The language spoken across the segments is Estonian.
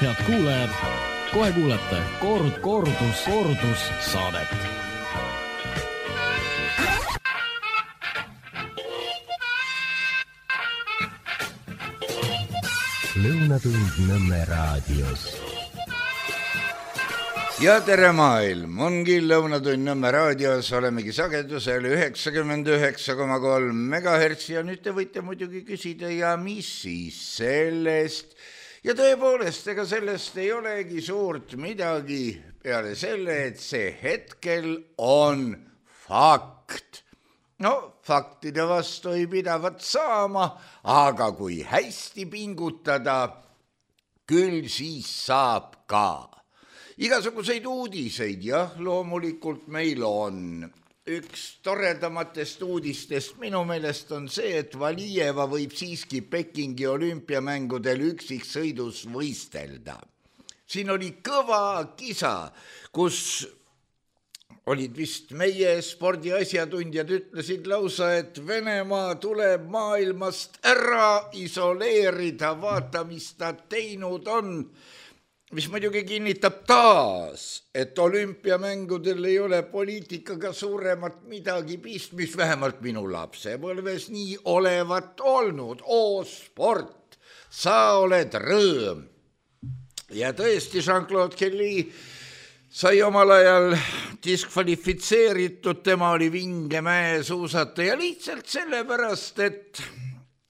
Head kuulajad, kohe kuulete kordus saadet. Lõunatund Nõmme raadios. Ja tere maailm, ongi Lõunatund Nõmme raadios, olemegi sagedusel 99,3 MHz ja nüüd te võite muidugi küsida ja mis siis sellest. Ja tõepoolest, ega sellest ei olegi suurt midagi peale selle, et see hetkel on fakt. No, faktide vastu ei pidavat saama, aga kui hästi pingutada, küll siis saab ka. Igasuguseid uudiseid, jah, loomulikult meil on. Üks toredamatest uudistest minu meelest on see, et Valijeva võib siiski Pekingi olümpiamängudel üksiksõidus võistelda. Siin oli kõva kisa, kus olid vist meie spordiasjatundjad ütlesid lausa, et Venemaa tuleb maailmast ära isoleerida, vaata, mis ta teinud on. Mis muidugi kinnitab taas, et olümpiamängudel ei ole poliitikaga suuremat midagi pistmist, vähemalt minu lapsepõlves nii olevat olnud. Oo, sport, sa oled rõõm. Ja tõesti, Jean-Claude Kelly sai omal ajal diskvalifitseeritud, tema oli vingemäe suusataja lihtsalt sellepärast, et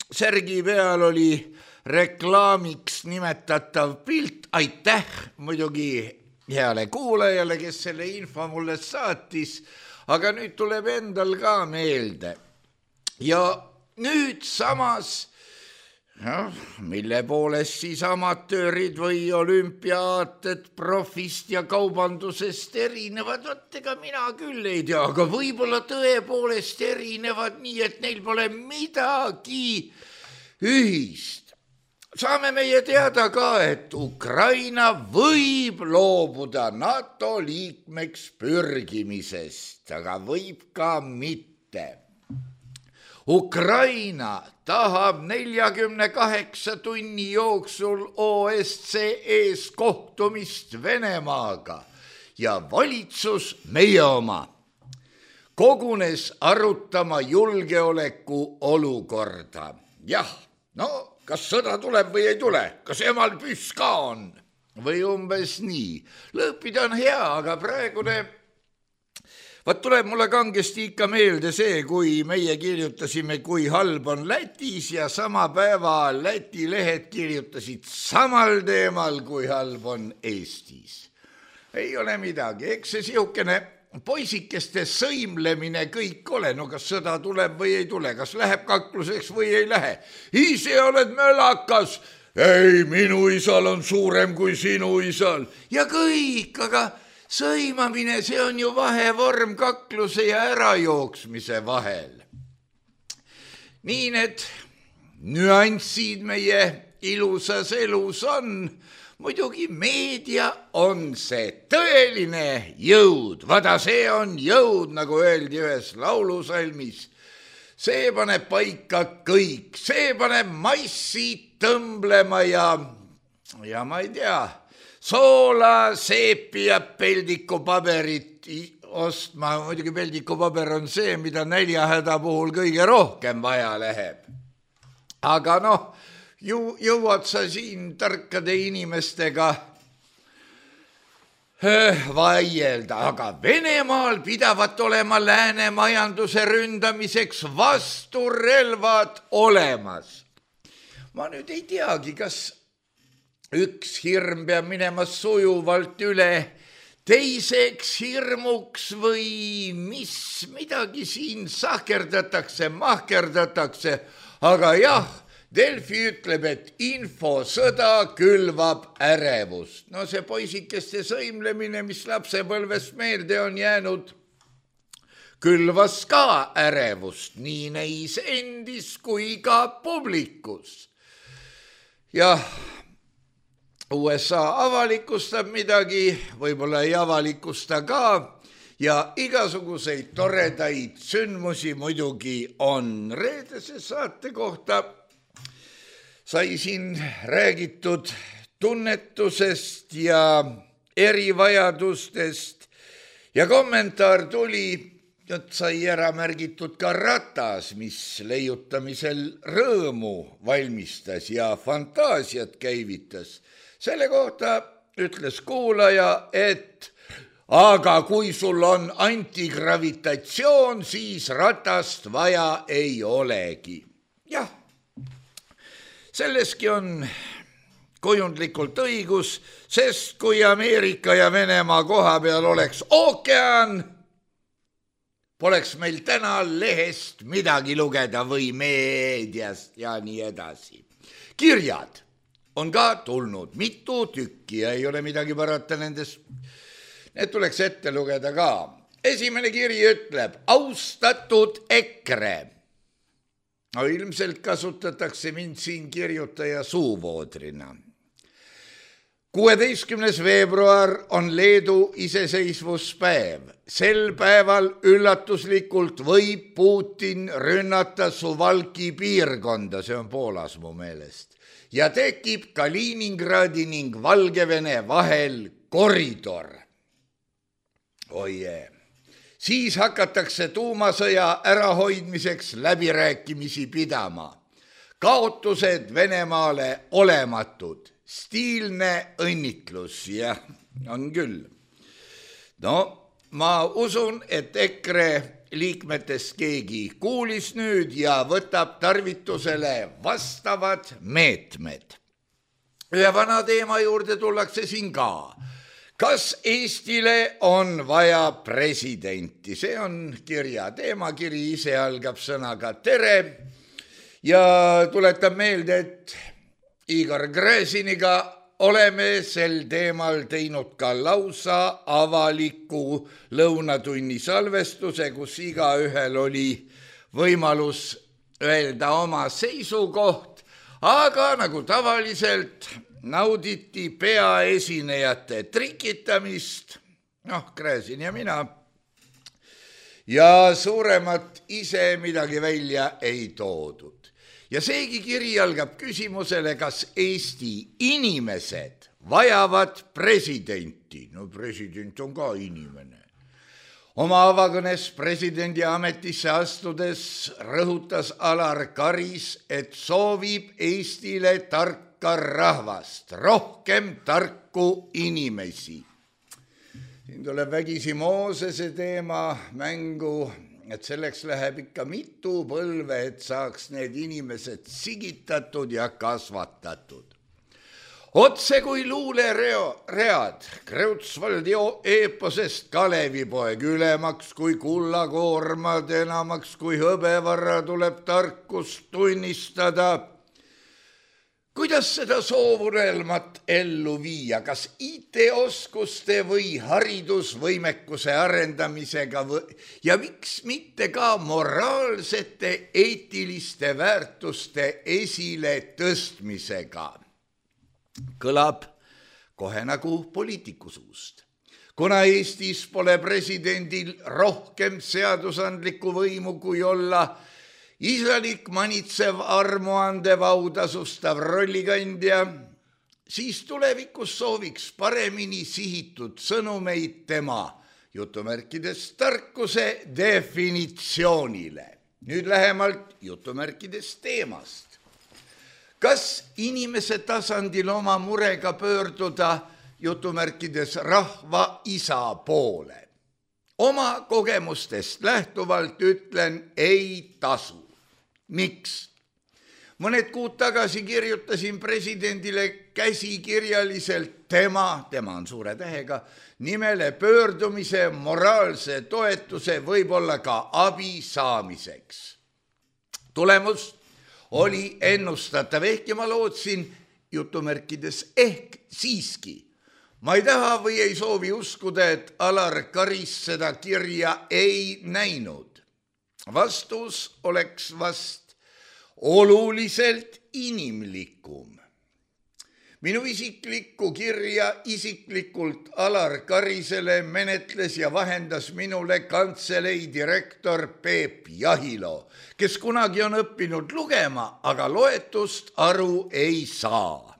särgi peal oli reklaamiks nimetatav pilt, aitäh muidugi heale kuulajale, kes selle info mulle saatis, aga nüüd tuleb endal ka meelde. Ja nüüd samas, mille poolest siis amatöörid või olümpiaated profist ja kaubandusest erinevad, ega mina küll ei tea, aga võib-olla tõepoolest erinevad nii, et neil pole midagi ühist. Saame meie teada ka, et Ukraina võib loobuda NATO liikmeks pürgimisest, aga võib ka mitte. Ukraina tahab 48 tunni jooksul OSCE-s kohtumist Venemaaga ja valitsus, meie oma, kogunes arutama julgeoleku olukorda. Jah, kas sõda tuleb või ei tule? Kas emal püss ka on? Või umbes nii. Lõõpida on hea, aga praegune... tuleb mulle kangesti ikka meelde see, kui meie kirjutasime, kui halb on Lätis ja sama päeva Läti lehed kirjutasid samal teemal, kui halb on Eestis. Ei ole midagi, eks see sihukene poisikeste sõimlemine kõik ole, kas sõda tuleb või ei tule, kas läheb kakluseks või ei lähe. Ise oled mölakas, ei, minu isal on suurem kui sinu isal. Ja kõik, aga sõimamine, see on ju vahevorm kakluse ja ärajooksmise vahel. Nii need nüanssid meie ilusas elus on. Muidugi meedia on see tõeline jõud. Vada, see on jõud, nagu öeldi ühes laulusalmis. See paneb paika kõik. See paneb massi tõmblema ja ma ei tea, soola, seepi ja peldikupaberit ostma. Muidugi peldikupaber on see, mida näljahäda puhul kõige rohkem vaja läheb. Aga jõuad sa siin tarkade inimestega vaielda, aga Venemaal pidavat olema lääne majanduse ründamiseks vasturelvad olemas. Ma nüüd ei teagi, kas üks hirm peab minema sujuvalt üle teiseks hirmuks või midagi siin sahkerdatakse, mahkerdatakse, aga jah, Delfi ütleb, et infosõda külvab ärevust. See poisikeste sõimlemine, mis lapsepõlvest meelde on jäänud, külvas ka ärevust, nii neis endis kui ka publikus. Jah, USA avalikustab midagi, võib-olla ei avalikusta ka, ja igasuguseid toredaid sündmusi muidugi on. Reedese saate kohta sai siin räägitud tunnetusest ja erivajadustest ja kommentaar tuli, et sai ära märgitud ka ratas, mis leiutamisel rõõmu valmistas ja fantaasiat käivitas. Selle kohta ütles kuulaja, et aga kui sul on antigravitatsioon, siis ratast vaja ei olegi. Jah, selleski on kujundlikult õigus, sest kui Ameerika ja Venemaa koha peal oleks ookean, poleks meil täna lehest midagi lugeda või meediast ja nii edasi. Kirjad on ka tulnud mitu tükki ja ei ole midagi parata nendest. Need tuleks ette lugeda ka. Esimene kiri ütleb, austatud EKRE. No, ilmselt kasutatakse mind siin kirjutaja suuvoodrina. 16. veebruar on Leedu iseseisvuspäev. Sel päeval üllatuslikult võib Putin rünnata Suwałki piirkonda, see on Poolas mu meelest, ja tekib Kaliningradi ning Valgevene vahel koridor. Oje. Siis hakatakse tuumasõja ärahoidmiseks läbirääkimisi pidama. Kaotused Venemaale olematud. Stiilne õnnitlus, jah, on küll. No, ma usun, et EKRE liikmetest keegi kuulis nüüd ja võtab tarvitusele vastavad meetmed. Ühe vana teema juurde tullakse siin ka. Kas Eestile on vaja presidenti? See on kirja teema, kiri ise algab sõnaga tere ja tuletab meelde, et Igor Gräziniga oleme sel teemal teinud ka lausa avaliku lõunatunni salvestuse, kus igaühel oli võimalus öelda oma seisukoht, aga nagu tavaliselt nauditi peaesinejate trikitamist, Gräzin ja mina, ja suuremat ise midagi välja ei toodud. Ja seegi kiri algab küsimusele, kas Eesti inimesed vajavad presidenti. No president on ka inimene. Oma avakõnes presidendi ametisse astudes rõhutas Alar Karis, et soovib Eestile tarka rahvast, rohkem tarku inimesi. Siin tuleb vägisi Moosese teema mängu, et selleks läheb ikka mitu põlve, et saaks need inimesed sigitatud ja kasvatatud. Otse kui luuleread Kreutzwaldi eeposest Kalevipoeg ülemaks kui kullakoormad, enamaks kui hõbevarra tuleb tarkust tunnistada. Kuidas seda soovunelmat ellu viia? Kas IT-oskuste või haridusvõimekuse arendamisega ja miks mitte ka moraalsete eetiliste väärtuste esile tõstmisega? Kõlab kohe nagu poliitiku suust. Kuna Eestis pole presidendil rohkem seadusandlikku võimu kui olla isalik manitsev armuandev autasustav rollikandja, siis tulevikus sooviks paremini sihitud sõnumeid tema jutumärkides tarkuse definitsioonile. Nüüd lähemalt jutumärkides teemast. Kas inimese tasandil oma murega pöörduda jutumärkides rahva isa poole? Oma kogemustest lähtuvalt ütlen, ei tasu. Miks? Mõned kuud tagasi kirjutasin presidendile käsikirjaliselt tema on suure tähega, nimele pöördumise moraalse toetuse, võib-olla ka abi saamiseks. Tulemus oli ennustatav, ehk ja ma lootsin jutumärkides ehk siiski. Ma ei taha või ei soovi uskuda, et Alar Karis seda kirja ei näinud. Vastus oleks vast oluliselt inimlikum. Minu isiklikku kirja isiklikult Alar Karisele menetles ja vahendas minule kantselei direktor Peep Jahilo, kes kunagi on õppinud lugema, aga loetust aru ei saa.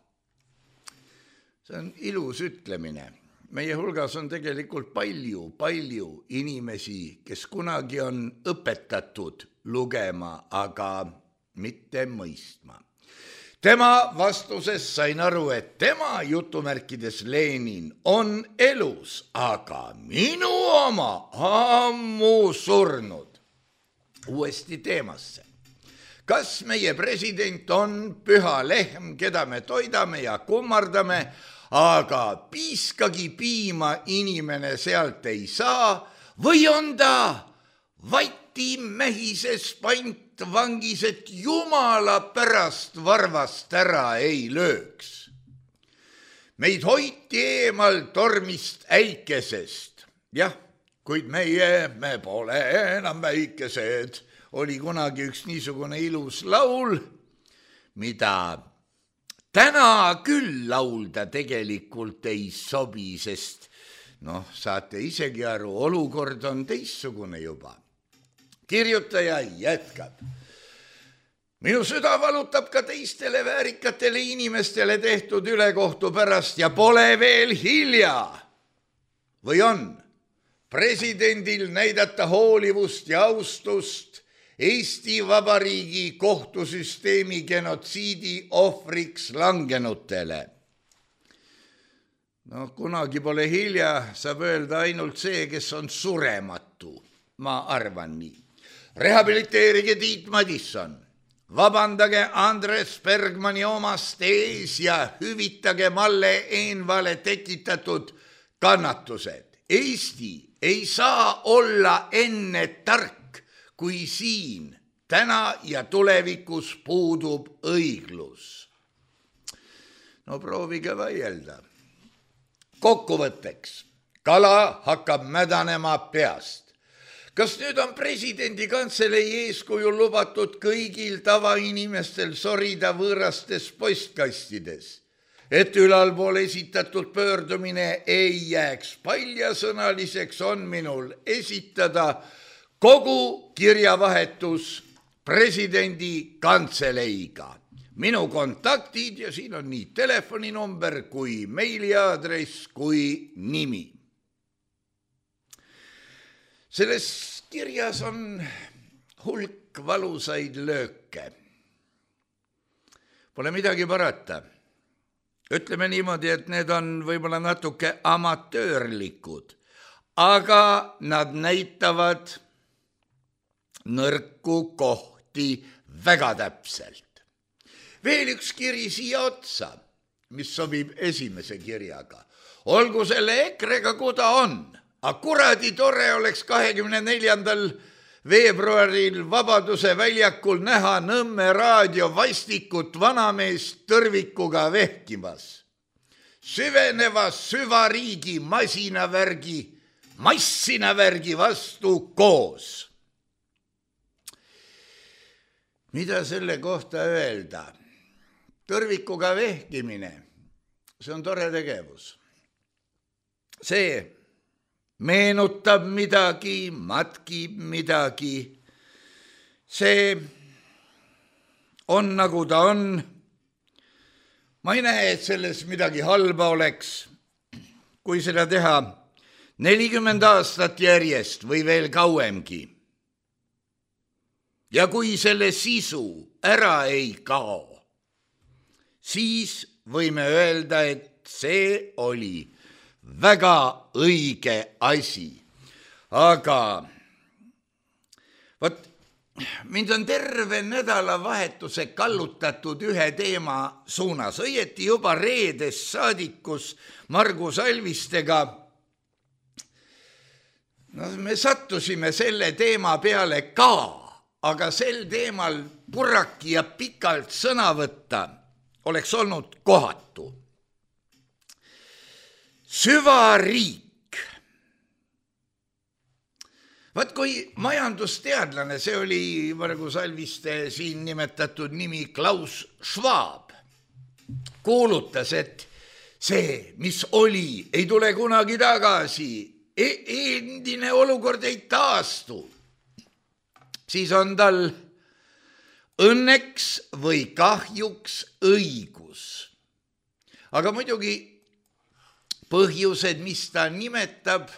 See on ilus ütlemine. Meie hulgas on tegelikult palju inimesi, kes kunagi on õpetatud lugema, aga mitte mõistma. Tema vastuses sain aru, et tema jutumärkides Lenin on elus, aga minu oma ammu surnud. Uuesti teemasse. Kas meie president on püha lehm, keda me toidame ja kummardame, aga piiskagi piima inimene sealt ei saa, või on ta vatimehises pantvangis, et jumala pärast varvast ära ei lööks. Meid hoiti eemal tormist äikesest. Jah, kuid me pole enam väikesed. Oli kunagi üks niisugune ilus laul, mida täna küll laulda tegelikult ei sobi, sest saate isegi aru, olukord on teistsugune juba. Kirjutaja jätkab. Minu süda valutab ka teistele väärikatele inimestele tehtud ülekohtu pärast ja pole veel hilja. Või on presidendil näidata hoolivust ja austust Eesti Vabariigi kohtusüsteemi genotsiidi ohvriks langenutele. Kunagi pole hilja, saab öelda ainult see, kes on surematu. Ma arvan nii. Rehabiliteerige Tiit Madisson, vabandage Andres Bergmani omast ees ja hüvitage Malle Eenvale tekitatud kannatused. Eesti ei saa olla enne tark, kui siin täna ja tulevikus puudub õiglus. Proovige vaielda. Kokkuvõtteks, kala hakkab mädanema peast. Kas nüüd on presidendi kantselei eeskujul lubatud kõigil tavainimestel sorida võõrastes postkastides, et ülalpool esitatud pöördumine ei jääks paljasõnaliseks, on minul esitada kogu kirjavahetus presidendi kantseleiga. Minu kontaktid ja siin on nii telefoninumber kui meiliaadress kui nimi. Selles kirjas on hulk valusaid lööke. Pole midagi parata. Ütleme niimoodi, et need on võib-olla natuke amatöörlikud, aga nad näitavad nõrku kohti väga täpselt. Veel üks kiri siia otsa, mis sobib esimese kirjaga. Olgu selle EKRE-ga kuda on, aga kuradi tore oleks 24. veebruaril Vabaduse väljakul näha Nõmme raadio vastikut vanameest tõrvikuga vehkimas. Süveneva süvariigi massinavärgi vastu koos. Mida selle kohta öelda? Tõrvikuga vehkimine, see on tore tegevus. See meenutab midagi, matkib midagi. See on nagu ta on. Ma ei näe, et selles midagi halba oleks, kui seda teha 40 aastat järjest või veel kauemgi. Ja kui selle sisu ära ei kao, siis võime öelda, et see oli väga õige asi. Aga mind on terve nädalavahetuse kallutatud ühe teema suunas. Õieti juba reedes saadikus Margus Alvistega. Me sattusime selle teema peale ka, aga sel teemal purraki ja pikalt sõna võtta oleks olnud kohatu. Süvariik. Kui majandusteadlane, see oli Margus Alviste siin nimetatud nimi Klaus Schwab, kuulutas, et see, mis oli, ei tule kunagi tagasi, endine olukord ei taastu, siis on tal õnneks või kahjuks õigus. Aga muidugi põhjused, mis ta nimetab,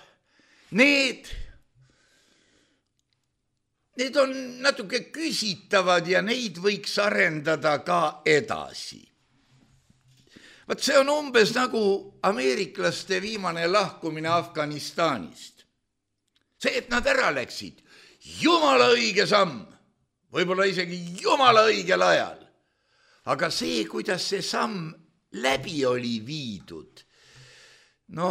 need on natuke küsitavad ja neid võiks arendada ka edasi. Vaat see on umbes nagu ameeriklaste viimane lahkumine Afganistanist. See, et nad ära läksid, jumala õige samm, võib-olla isegi jumala õigel ajal. Aga see, kuidas see samm läbi oli viidud, no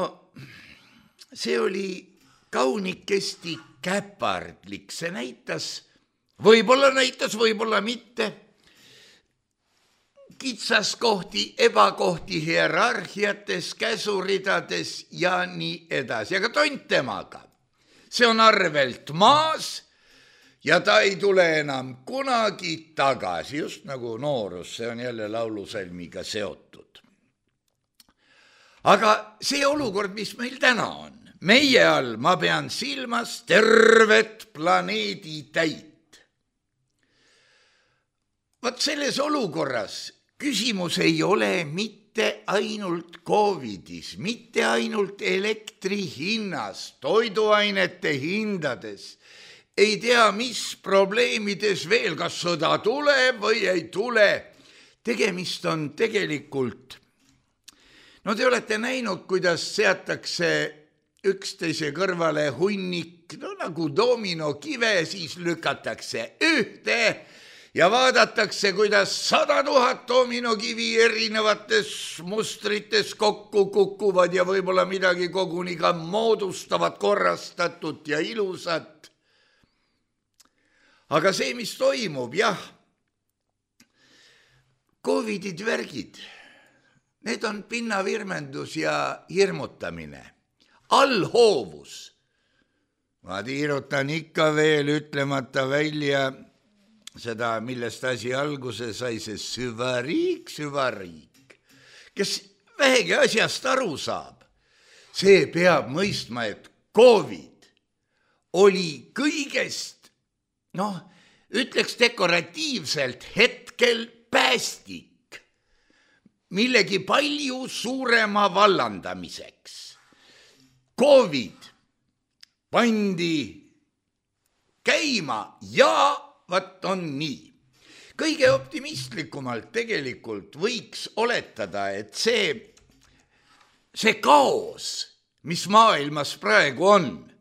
see oli kaunikesti käpardlik, see näitas, võib-olla mitte, kitsaskohti, ebakohti hierarhiates, käsuridades ja nii edasi. Aga tont temaga, see on arvelt maas ja ta ei tule enam kunagi tagasi, just nagu noorus, see on jälle laulusalmiga seotud. Aga see olukord, mis meil täna on, meie all ma pean silmas tervet planeedi täit. Vaat selles olukorras küsimus ei ole mitte ainult Covidis, mitte ainult elektri hinnas, toiduainete hindades, ei tea mis probleemides veel, kas sõda tuleb või ei tule. Tegemist on tegelikult, no te olete näinud, kuidas seatakse üksteise kõrvale hunnik, no nagu dominokive, siis lükatakse ühte ja vaadatakse, kuidas 100 000 dominokivi erinevates mustrites kokku kukuvad ja võib-olla midagi koguni ka moodustavad korrastatut ja ilusat. Aga see, mis toimub, jah, Covidid värgid, need on pinnavirmendus ja hirmutamine. Allhoovus. Ma tiirutan ikka veel ütlemata välja seda, millest asi alguse sai, see süvariik. Kes vähegi asjast aru saab, see peab mõistma, et Covid oli kõigest, ütleks dekoratiivselt hetkel päästik millegi palju suurema vallandamiseks. Covid pandi käima ja vat on nii. Kõige optimistlikumalt tegelikult võiks oletada, et see kaos, mis maailmas praegu on,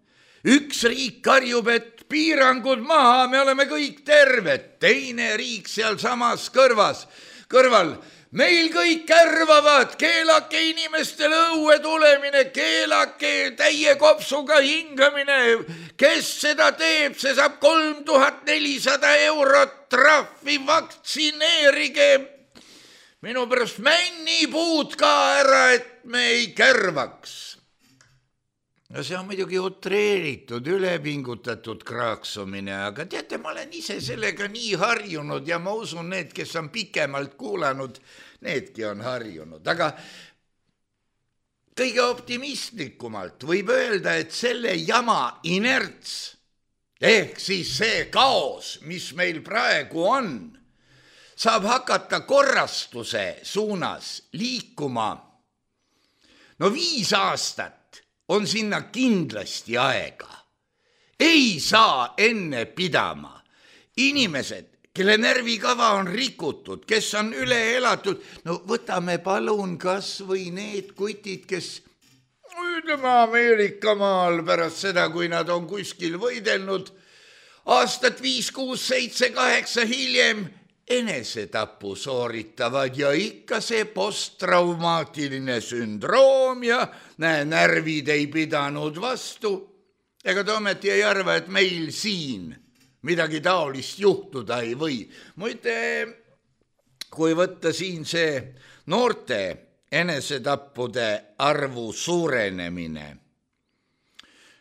üks riik karjub, et piirangud maha, me oleme kõik terved, teine riik seal samas kõrval, meil kõik kärvavad, keelake inimestele õue tulemine, keelake täie kopsuga hingamine, kes seda teeb, see saab 3400 eurot trahvi, vaktsineerige minu pärast männipuud ka ära, et me ei kärvaks. No see on muidugi utreeritud, ülepingutatud kraaksumine, aga teate, ma olen ise sellega nii harjunud ja ma usun, need, kes on pikemalt kuulanud, needki on harjunud. Aga kõige optimistlikumalt võib öelda, et selle jama inerts, ehk siis see kaos, mis meil praegu on, saab hakata korrastuse suunas liikuma. No 5 aastat on sinna kindlasti aega. Ei saa enne pidama. Inimesed, kelle närvikava on rikutud, kes on üle elatud, no võtame palun kas või need kutid, kes ütleme Ameerika maal pärast seda, kui nad on kuskil võidelnud, aastat 5, 6, 7, 8 hiljem enesetapu sooritavad ja ikka see posttraumaatiline sündroom ja närvid ei pidanud vastu. Ega ta ometi ei arva, et meil siin midagi taolist juhtuda ei või. Muide, kui võtta siin see noorte enesetappude arvu suurenemine,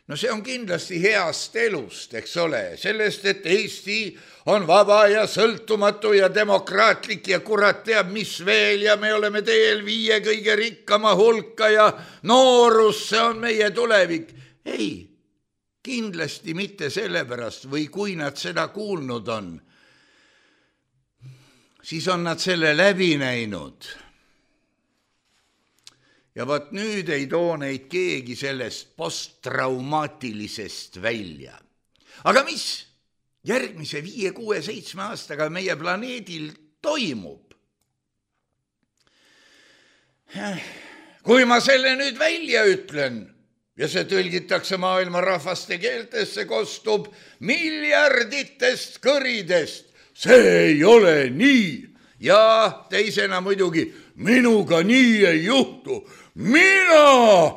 no see on kindlasti heast elust, eks ole, sellest, et Eesti on vaba ja sõltumatu ja demokraatlik ja kurat teab mis veel ja me oleme teel 5 kõige rikkama hulka ja noorus, see on meie tulevik. Ei, kindlasti mitte sellepärast või kui nad seda kuulnud on, siis on nad selle läbi näinud. ja vaat nüüd ei too neid keegi sellest posttraumaatilisest välja. Aga mis järgmise 5, 6, 7 aastaga meie planeedil toimub? Kui ma selle nüüd välja ütlen ja see tõlgitakse maailma rahvaste keeltesse, kostub miljarditest kõridest. See ei ole nii. Ja teisena muidugi, minuga nii ei juhtu. Mina!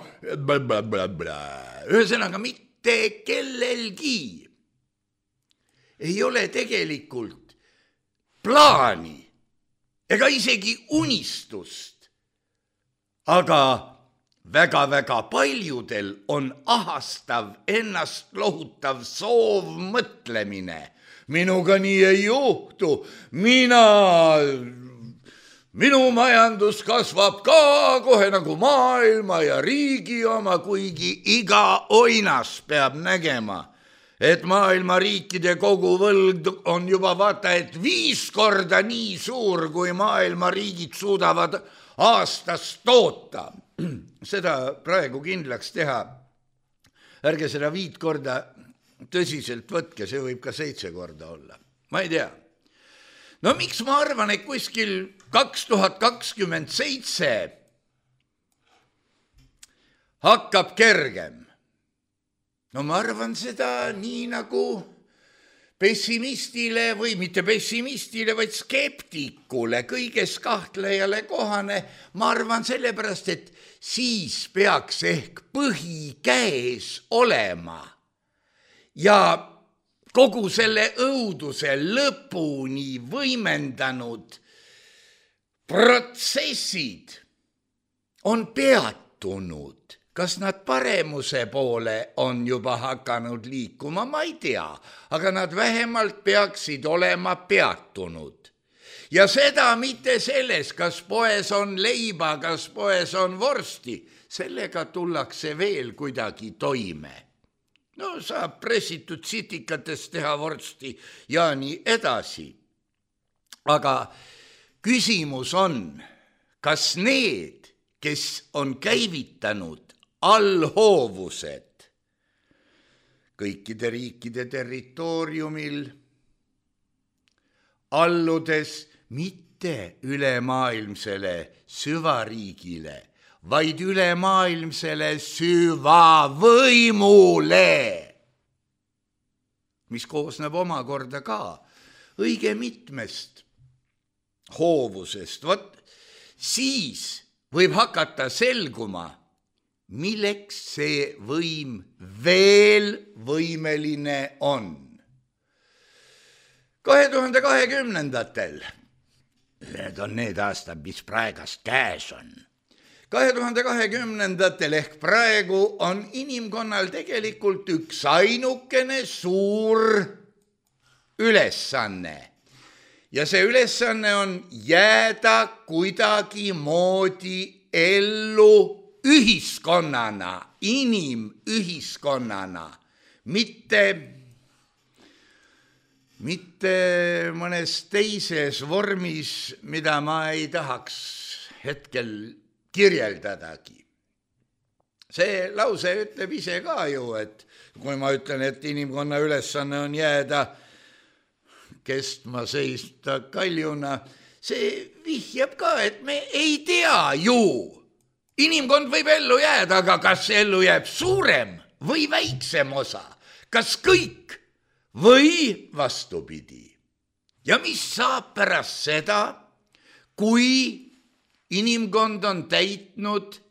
Ühesõnaga, mitte kellelgi ei ole tegelikult plaani ega isegi unistust. Aga väga-väga paljudel on ahastav, ennast lohutav soov mõtlemine. Minuga nii ei juhtu. Minu majandus kasvab ka kohe nagu maailma ja riigi oma, kuigi iga oinas peab nägema, et maailma riikide koguvõlg on juba vaata, et 5 korda nii suur, kui maailma riigid suudavad aastas toota. Seda praegu kindlaks teha. Ärge seda 5 korda tõsiselt võtke, see võib ka 7 korda olla. Ma ei tea. No miks ma arvan, et kuskil 2027 hakkab kergem? No ma arvan seda nii nagu pessimistile või mitte pessimistile, vaid skeptikule, kõiges kahtlejale kohane. Ma arvan sellepärast, et siis peaks ehk põhi käes olema ja kogu selle õuduse lõpuni võimendanud protsessid on peatunud. Kas nad paremuse poole on juba hakanud liikuma, ma ei tea, aga nad vähemalt peaksid olema peatunud. Ja seda mitte selles, kas poes on leiba, kas poes on vorsti, sellega tullakse veel kuidagi toime. No saab pressitud sitikatest teha vorsti ja nii edasi. Aga küsimus on, kas need, kes on käivitanud allhoovused kõikide riikide territooriumil, alludes mitte ülemaailmsele süvariigile, vaid ülemaailmsele süvavõimule, mis koosneb omakorda ka õige mitmest hoovusest. Vot siis võib hakata selguma, milleks see võim veel võimeline on. 2020-ndatel, need on need aastad, mis praegast käes on. 2020-ndatel ehk praegu on inimkonnal tegelikult üks ainukene suur ülesanne. Ja see ülesanne on jääda kuidagimoodi ellu ühiskonnana, inimühiskonnana, mitte mõnes teises vormis, mida ma ei tahaks hetkel kirjeldadagi. See lause ütleb ise ka ju, et kui ma ütlen, et inimkonna ülesanne on jääda kestma seista kaljuna, see vihjab ka, et me ei tea ju. Inimkond võib ellu jääda, aga kas ellu jääb suurem või väiksem osa? Kas kõik või vastupidi? Ja mis saab pärast seda, kui inimkond on täitnud,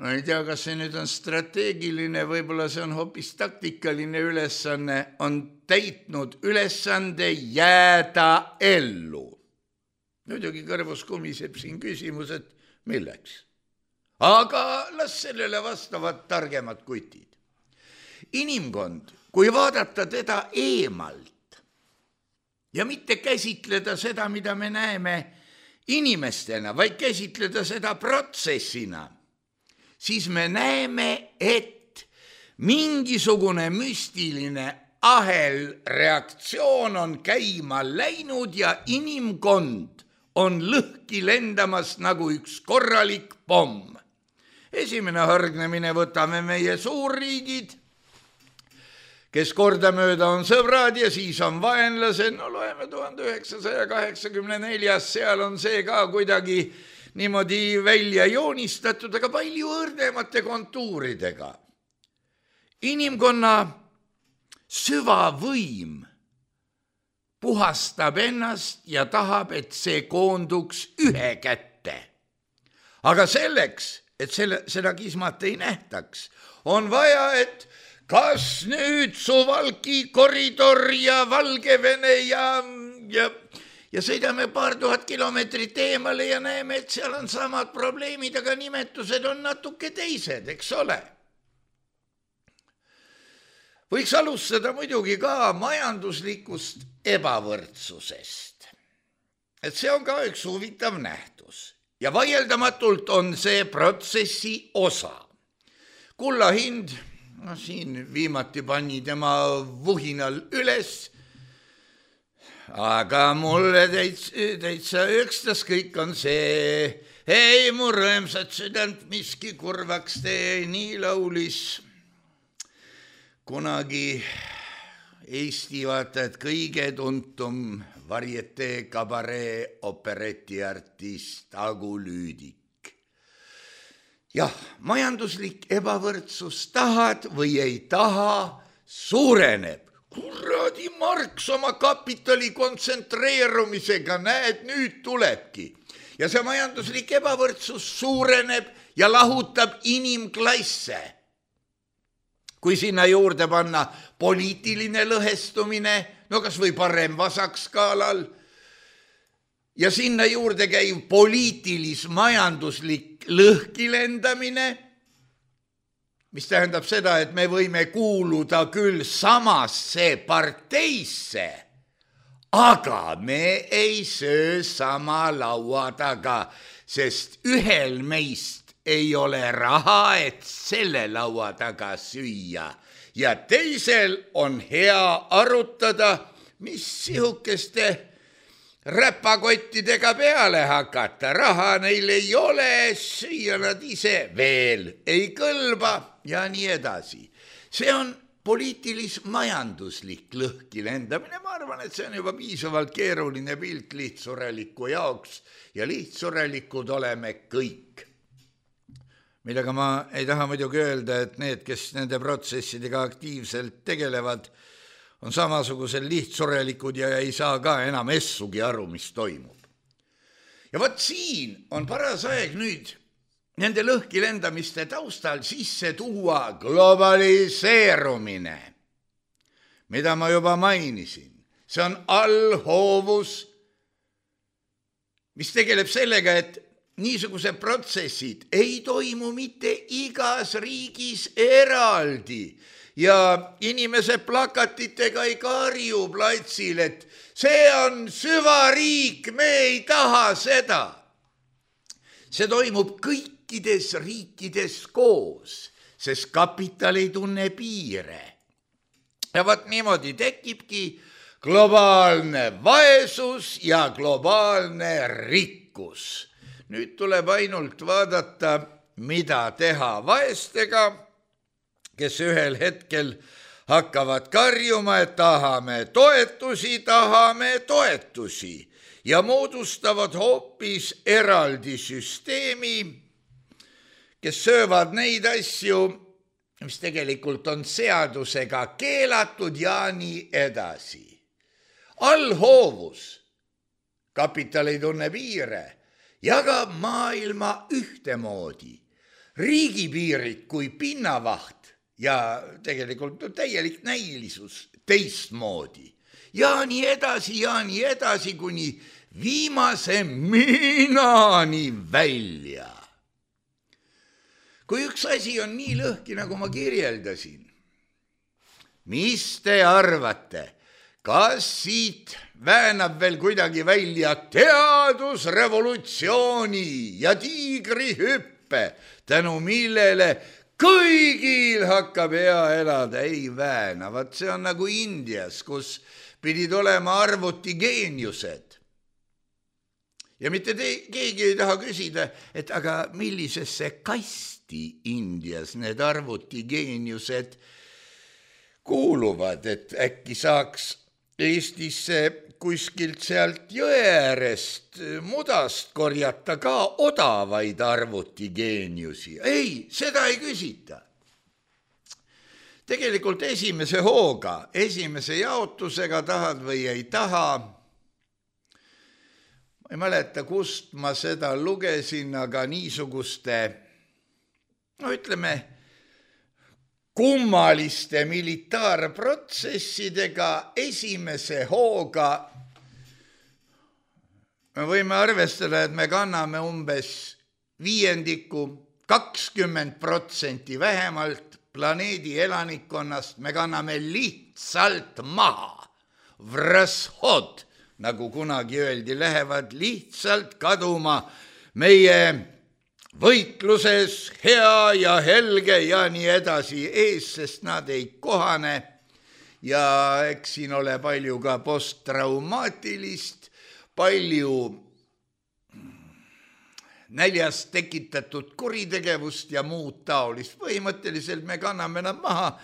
ma ei tea, kas see nüüd on strateegiline, võib-olla see on hoopis taktikaline ülesanne, on täitnud ülesande jääda ellu. Muidugi kõrvus kumiseb siin küsimus, et milleks? Aga las sellele vastavad targemad kutid. Inimkond, kui vaadata teda eemalt ja mitte käsitleda seda, mida me näeme inimestena, vaid käsitleda seda protsessina, siis me näeme, et mingisugune müstiline ahelreaktsioon on käima läinud ja inimkond on lõhki lendamas nagu üks korralik pomm. Esimene hargnemine võtame meie suurriigid, kes kordamööda on sõbrad ja siis on vaenlased. No loeme 1984, seal on see ka kuidagi niimoodi välja joonistatud, aga palju õrnemate kontuuridega. Inimkonna süvavõim puhastab ennast ja tahab, et see koonduks ühe kätte. Aga selleks, et seda kismat ei nähtaks, on vaja, et kas nüüd Suwałki koridor ja Valgevene ja sõidame paar tuhat kilomeetrit eemale ja näeme, et seal on samad probleemid, aga nimetused on natuke teised, eks ole. Võiks alustada muidugi ka majanduslikust ebavõrdsusest. Et see on ka üks huvitav nähtus ja vaieldamatult on see protsessi osa. Kulla hind, siin viimati pani tema vuhinal üles, aga mulle täitsa ükstas kõik on see. Ei mu rõõmsat südant miski kurvaks tee, nii laulis kunagi Eesti vaata, et kõige tuntum varietee kabaree operetiartist Agu Lüüdik. Jah, majanduslik ebavõrdsus tahad või ei taha, suureneb. Kuradi Marx oma kapitali kontsentreerumisega, näed, nüüd tulebki. Ja see majanduslik ebavõrdsus suureneb ja lahutab inimklasse. Kui sinna juurde panna poliitiline lõhestumine, no kas või parem-vasak skaalal, ja sinna juurde käiv poliitilis-majanduslik lõhkilendamine, mis tähendab seda, et me võime kuuluda küll samasse parteisse, aga me ei söö sama laua taga, sest ühel meist ei ole raha, et selle laua taga süüa ja teisel on hea arutada, mis sihukeste räpakottidega peale hakata. Raha neil ei ole, süüa nad ise veel ei kõlba ja nii edasi. See on poliitilis-majanduslik lõhkilendamine. Ma arvan, et see on juba piisavalt keeruline pilt lihtsureliku jaoks ja lihtsurelikud oleme kõik. Millega ma ei taha muidugi öelda, et need, kes nende protsessidega aktiivselt tegelevad, on samasugusel lihtsurelikud ja ei saa ka enam essugi aru, mis toimub. Ja võt siin on paras aeg nüüd nende lõhkilendamiste taustal sisse tuua globaliseerumine, mida ma juba mainisin. See on allhoovus, mis tegeleb sellega, et niisugused protsessid ei toimu mitte igas riigis eraldi ja inimesed plakatitega ei karju platsil, et see on süvariik, me ei taha seda. See toimub kõikides riikides koos, sest kapital ei tunne piire. Ja vaat niimoodi tekibki globaalne vaesus ja globaalne rikkus. Nüüd tuleb ainult vaadata, mida teha vaestega, kes ühel hetkel hakkavad karjuma, et tahame toetusi ja moodustavad hoopis eraldi süsteemi, kes söövad neid asju, mis tegelikult on seadusega keelatud ja nii edasi. Allhoovus, kapital ei tunne piire, jagab maailma ühtemoodi, riigipiirid kui pinnavaht ja tegelikult täielik näilisus teistmoodi. Ja nii edasi, kuni viimase miinani välja. Kui üks asi on nii lõhki, nagu ma kirjeldasin, mis te arvate, kas siit väänab veel kuidagi välja teadusrevolutsiooni ja tiigrihüppe, tänu millele kõigil hakkab hea elada? Ei vääna, vaat see on nagu Indias, kus pidid olema arvutigeeniused. Ja mitte keegi ei taha küsida, et aga millisesse kasti Indias need arvutigeeniused kuuluvad, et äkki saaks Eestisse kuskilt sealt jõe äärest mudast korjata ka odavaid arvutigeeniusi. Ei, seda ei küsita. Tegelikult esimese hooga, esimese jaotusega tahad või ei taha. Ma ei mäleta, kust ma seda lugesin, aga niisuguste, ütleme, kummaliste militaarprotsessidega esimese hooga me võime arvestada, et me kanname umbes 20% vähemalt planeedi elanikkonnast, me kanname lihtsalt maha. Vrashod, nagu kunagi öeldi, lähevad lihtsalt kaduma meie võitluses hea ja helge ja nii edasi ees, sest nad ei kohane ja eks siin ole palju ka posttraumaatilist, palju näljast tekitatud kuritegevust ja muud taolist. Põhimõtteliselt me kanname nad maha,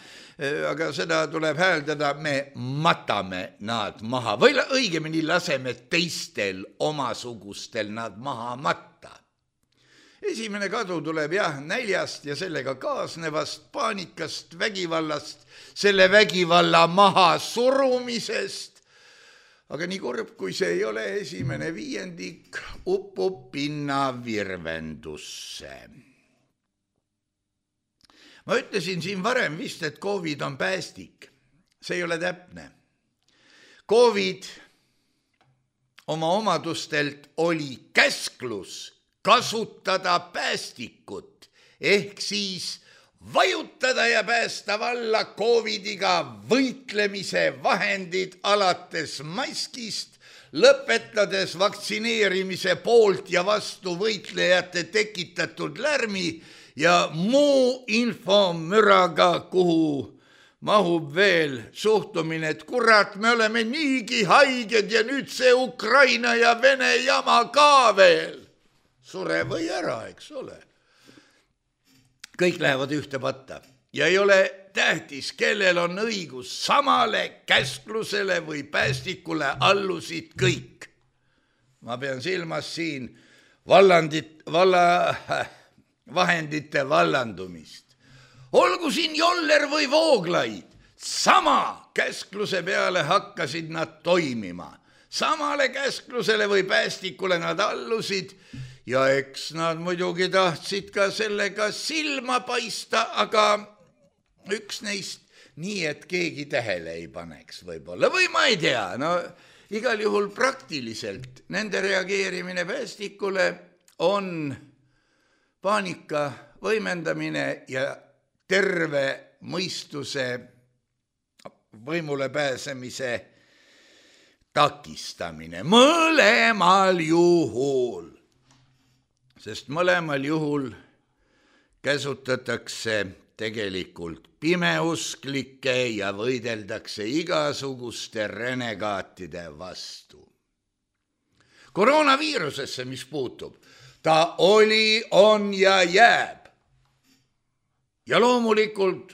aga seda tuleb hääldada, me matame nad maha või õigemini laseme teistel omasugustel nad maha matta. Esimene kadu tuleb näljast ja sellega kaasnevast paanikast, vägivallast, selle vägivalla maha surumisest. Aga nii kurb, kui see ei ole, esimene viiendik upub pinnavirvendusse. Ma ütlesin siin varem vist, et COVID on päästik. See ei ole täpne. COVID oma omadustelt oli käsklus kasutada päästikut, ehk siis vajutada ja päästa valla COVIDiga võitlemise vahendid alates maskist, lõpetades vaktsineerimise poolt ja vastu võitlejate tekitatud lärmi ja muu infomüraga, kuhu mahub veel suhtumine, et kurat, me oleme niigi haiged ja nüüd see Ukraina ja Vene jama ka veel. Sure või ära, eks ole. Kõik lähevad ühte patta ja ei ole tähtis, kellel on õigus, samale käsklusele või päästikule allusid kõik. Ma pean silmas siin vahendite vallandumist. Olgu siin Joller või Vooglaid, sama käskluse peale hakkasid nad toimima. Samale käsklusele või päästikule nad allusid ja eks nad muidugi tahtsid ka sellega silma paista, aga üks neist nii, et keegi tähele ei paneks võib-olla. Või ma ei tea, no igal juhul praktiliselt nende reageerimine päästikule on paanika võimendamine ja terve mõistuse võimule pääsemise takistamine. Mõlemal juhul. Sest mõlemal juhul käsutatakse tegelikult pimeusklikke ja võideldakse igasuguste renegaatide vastu. Koroonaviirusesse, mis puutub, ta oli, on ja jääb. Ja loomulikult,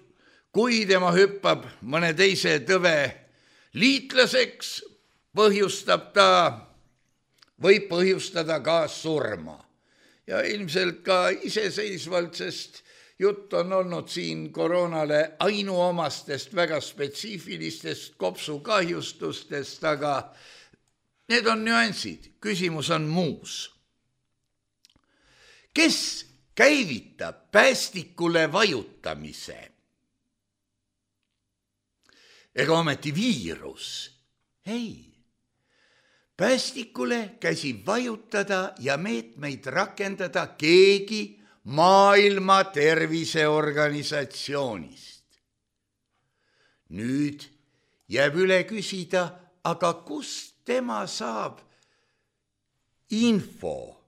kui tema hüppab mõne teise tõve liitlaseks, võib põhjustada ka surma. Ja ilmselt ka iseseisvalt, sest jutt on olnud siin koroonale ainuomastest väga spetsiifilistest kopsukahjustustest, aga need on nüansid, küsimus on muus. Kes käivitab päästikule vajutamise? Ega ometi viirus? Ei. Päästikule käsib vajutada ja meetmeid rakendada keegi Maailma Terviseorganisatsioonist. Nüüd jääb üle küsida, aga kust tema saab info?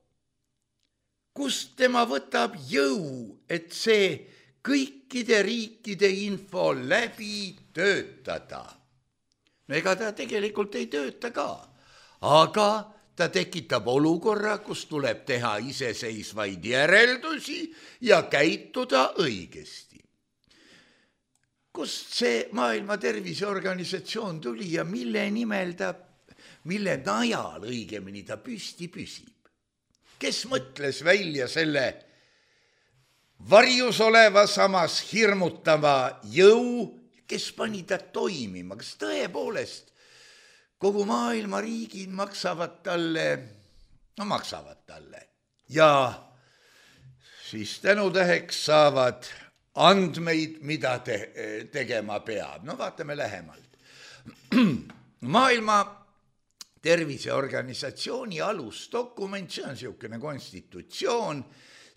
Kust tema võtab jõu, et see kõikide riikide info läbi töötada? No ega ta tegelikult ei tööta ka. Aga ta tekitab olukorra, kus tuleb teha iseseisvaid järeldusi ja käituda õigesti. Kust see Maailma Terviseorganisatsioon tuli ja mille najal õigemini ta püsti püsib? Kes mõtles välja selle varjus oleva, samas hirmutava jõu, kes pani ta toimima? Kas tõepoolest kogu maailma riigid maksavad talle? No maksavad talle. Ja siis tänutäheks saavad andmeid, mida tegema peab. No vaatame lähemalt. Maailma Terviseorganisatsiooni alusdokument, see on niisugune konstitutsioon,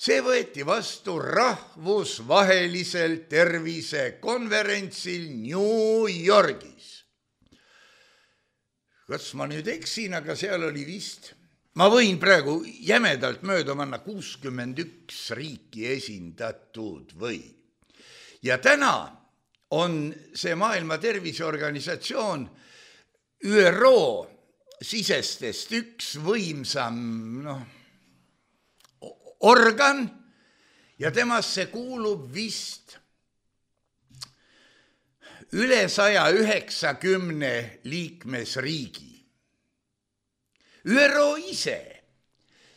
see võeti vastu rahvusvahelisel tervisekonverentsil New Yorgis. Kas ma nüüd eksin, aga seal oli vist, ma võin praegu jämedalt mööda manna 61 riiki esindatud või. Ja täna on see Maailma Terviseorganisatsioon ÜRO sisestest üks võimsam organ ja temasse kuulub vist üle 190 liikmesriigi. ÜRO ise,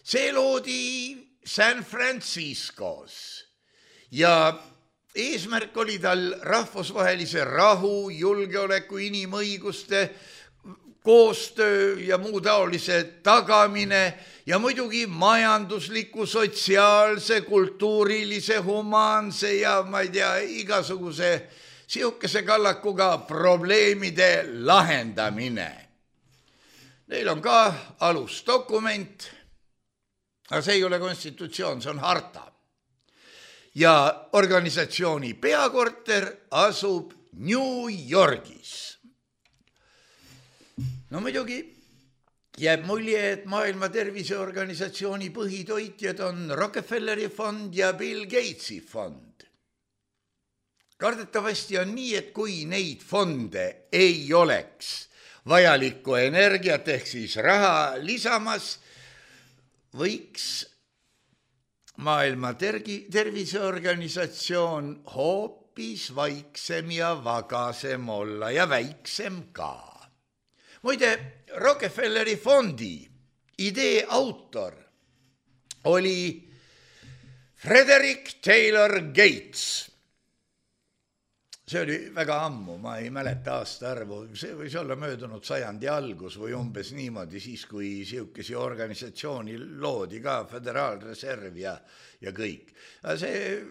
see loodi San Franciscos ja eesmärk oli tal rahvusvahelise rahu, julgeoleku, inimõiguste, koostöö ja muu taolise tagamine ja muidugi majandusliku, sotsiaalse, kultuurilise, humaanse ja ma ei tea, igasuguse sihukese kallakuga probleemide lahendamine. Neil on ka alusdokument, aga see ei ole konstitutsioon, see on harta. Ja organisatsiooni peakorter asub New Yorgis. No muidugi jääb mulje, et Maailma Terviseorganisatsiooni põhitoitjad on Rockefelleri fond ja Bill Gatesi fond. Kardetavasti on nii, et kui neid fonde ei oleks vajalikku energiat ehk siis raha lisamas, võiks Maailma Terviseorganisatsioon hoopis vaiksem ja vagasem olla ja väiksem ka. Muide, Rockefelleri fondi idee autor oli Frederick Taylor Gates. See oli väga ammu, ma ei mäleta aastaarvu, see võis olla möödunud sajandi algus või umbes niimoodi, siis kui sihukesi organisatsiooni loodi ka Föderaalreserv ja kõik. See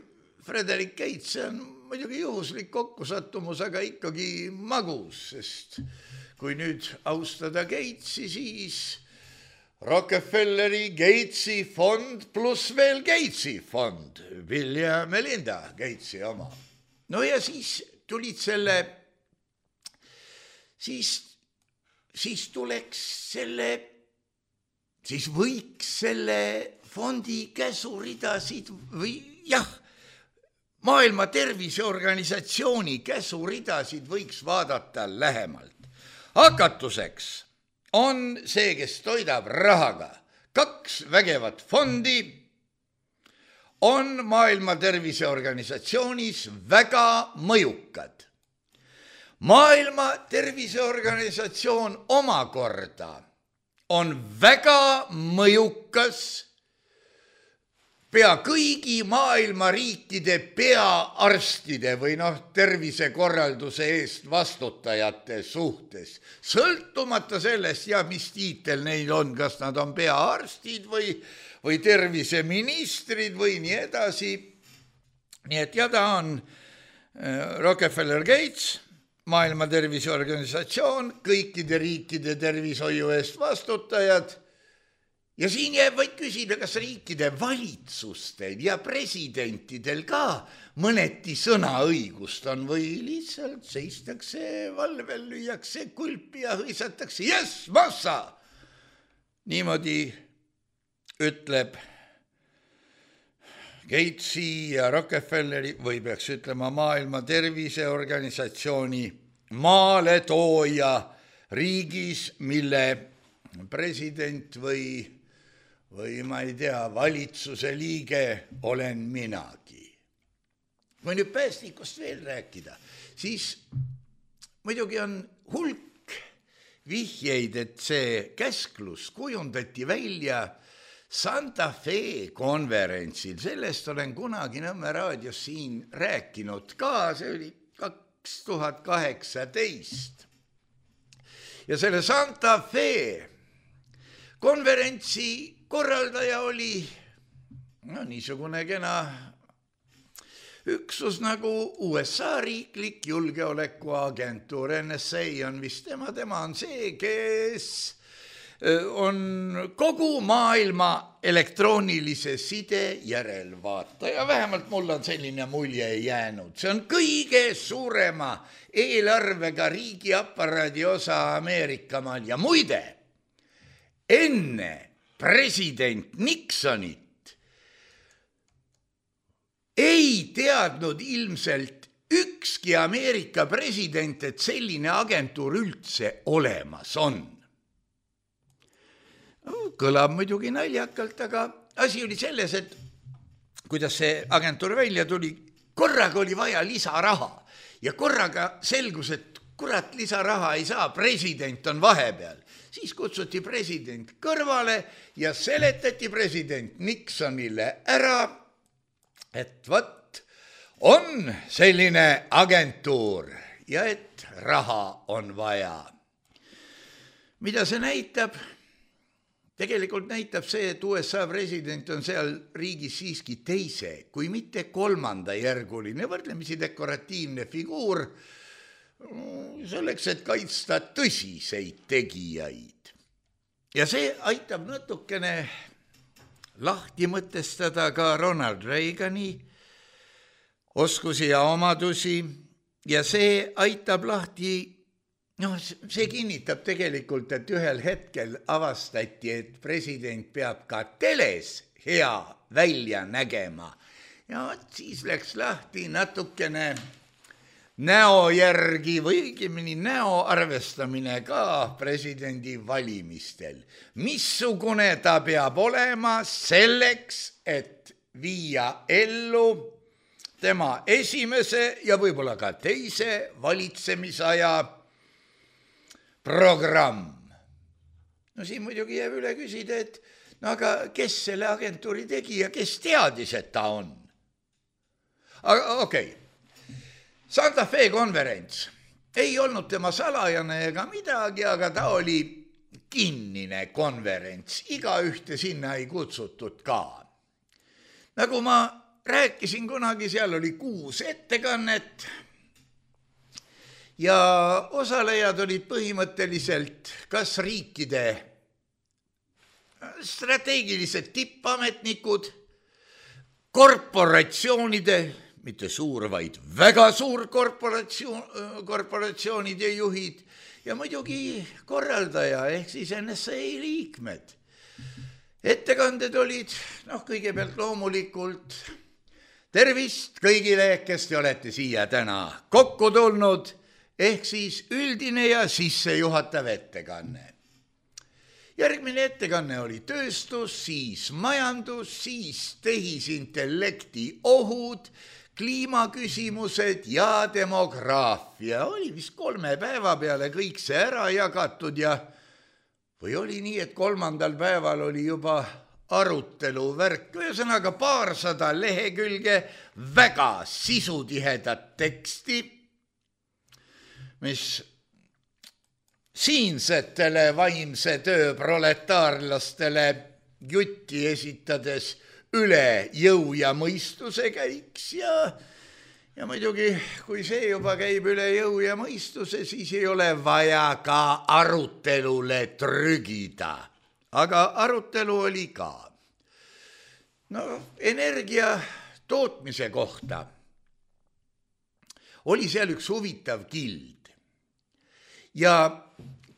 Frederick Gates on muidugi juhuslik kokkusattumus, aga ikkagi magus, sest kui nüüd austada Gatesi, siis Rockefelleri Gatesi fond pluss veel Gatesi fond, Bill ja Melinda Gatesi oma. No ja siis tulid siis võiks selle fondi käsuridasid või Maailma Terviseorganisatsiooni käsuridasid võiks vaadata lähemalt. Hakatuseks on see, kes toidab rahaga 2 vägevat fondi, on Maailma Terviseorganisatsioonis väga mõjukad. Maailma Terviseorganisatsioon omakorda on väga mõjukas pea kõigi maailma riikide peaarstide või tervisekorralduse eest vastutajate suhtes. Sõltumata sellest, mis tiitel neil on, kas nad on peaarstid või terviseministrid või nii edasi. Nii et ta on Rockefeller Gates, Maailma Terviseorganisatsioon, kõikide riikide tervishoiu eest vastutajad. Ja siin jääb vaid küsida, kas riikide valitsustel ja presidentidel ka mõneti sõnaõigust on või lihtsalt seistakse valvel, lüüakse kulpi ja hõisatakse, yes, massa! Niimoodi ütleb Gatesi ja Rockefelleri või peaks ütlema Maailma Terviseorganisatsiooni maaletooja riigis, mille president või ma ei tea, valitsuse liige olen minagi. Kui nüüd päästikust veel rääkida, siis muidugi on hulk vihjeid, et see käsklus kujundati välja Santa Fe konverentsil. Sellest olen kunagi Nõmme raadios siin rääkinud ka, see oli 2018. Ja selle Santa Fe konverentsi korraldaja oli niisugune kena üksus nagu USA riiklik julgeolekuagentuur, NSA on vist tema on see, kes on kogu maailma elektroonilise side järelvaataja, vähemalt mul on selline mulje jäänud. See on kõige suurema eelarvega riigiaparaadi osa Ameerikamaal ja muide, enne president Nixonit ei teadnud ilmselt ükski Ameerika president, et selline agentuur üldse olemas on. Kõlab muidugi naljakalt, aga asi oli selles, et kuidas see agentuur välja tuli, korraga oli vaja lisaraha ja korraga selgus, et kurat lisaraha ei saa, president on vahepeal. Siis kutsuti president kõrvale ja seletati president Nixonile ära, et võt, on selline agentuur ja et raha on vaja. Mida see näitab? Tegelikult näitab see, et USA president on seal riigis siiski teise, kui mitte kolmanda järguline, võrdlemisi dekoratiivne figuur, selleks, et kaitsta tõsiseid tegijaid. Ja see aitab natukene lahti mõtestada ka Ronald Reagani oskusi ja omadusi ja see aitab lahti, see kinnitab tegelikult, et ühel hetkel avastati, et president peab ka teles hea välja nägema ja siis läks lahti natukene näo järgi või õigemini näo arvestamine ka presidendi valimistel. Missugune ta peab olema selleks, et viia ellu tema esimese ja võib-olla ka teise valitsemisaja programm. Siin muidugi jääb üle küsida, et aga kes selle agentuuri tegi ja kes teadis, et ta on? Okei. Santa Fe konverents ei olnud tema salajane ega midagi, aga ta oli kinnine konverents. Igaühte sinna ei kutsutud ka. Nagu ma rääkisin kunagi, seal oli 6 ettekannet ja osalejad olid põhimõtteliselt kas riikide strateegilised tippametnikud, korporatsioonide, mitte suur, vaid väga suur korporatsioonide juhid ja muidugi korraldaja ehk siis NSA liikmed. Ettekanded olid, kõigepealt loomulikult tervist kõigile, kes te olete siia täna kokku tulnud, ehk siis üldine ja sissejuhatav ettekanne. Järgmine ettekanne oli tööstus, siis majandus, siis tehisintellekti ohud, kliimaküsimused ja demograafia. Oli vist 3 päeva peale kõik see ära jagatud ja või oli nii, et 3. päeval oli juba arutelu värk, ühesõnaga 200 lehekülge väga sisutihedat teksti, mis siinsetele vaimse töö proletaarlastele jutti esitades üle jõu ja mõistuse käiks ja muidugi, kui see juba käib üle jõu ja mõistuse, siis ei ole vaja ka arutelule trügida. Aga arutelu oli ka. Energia tootmise kohta oli seal üks huvitav kild ja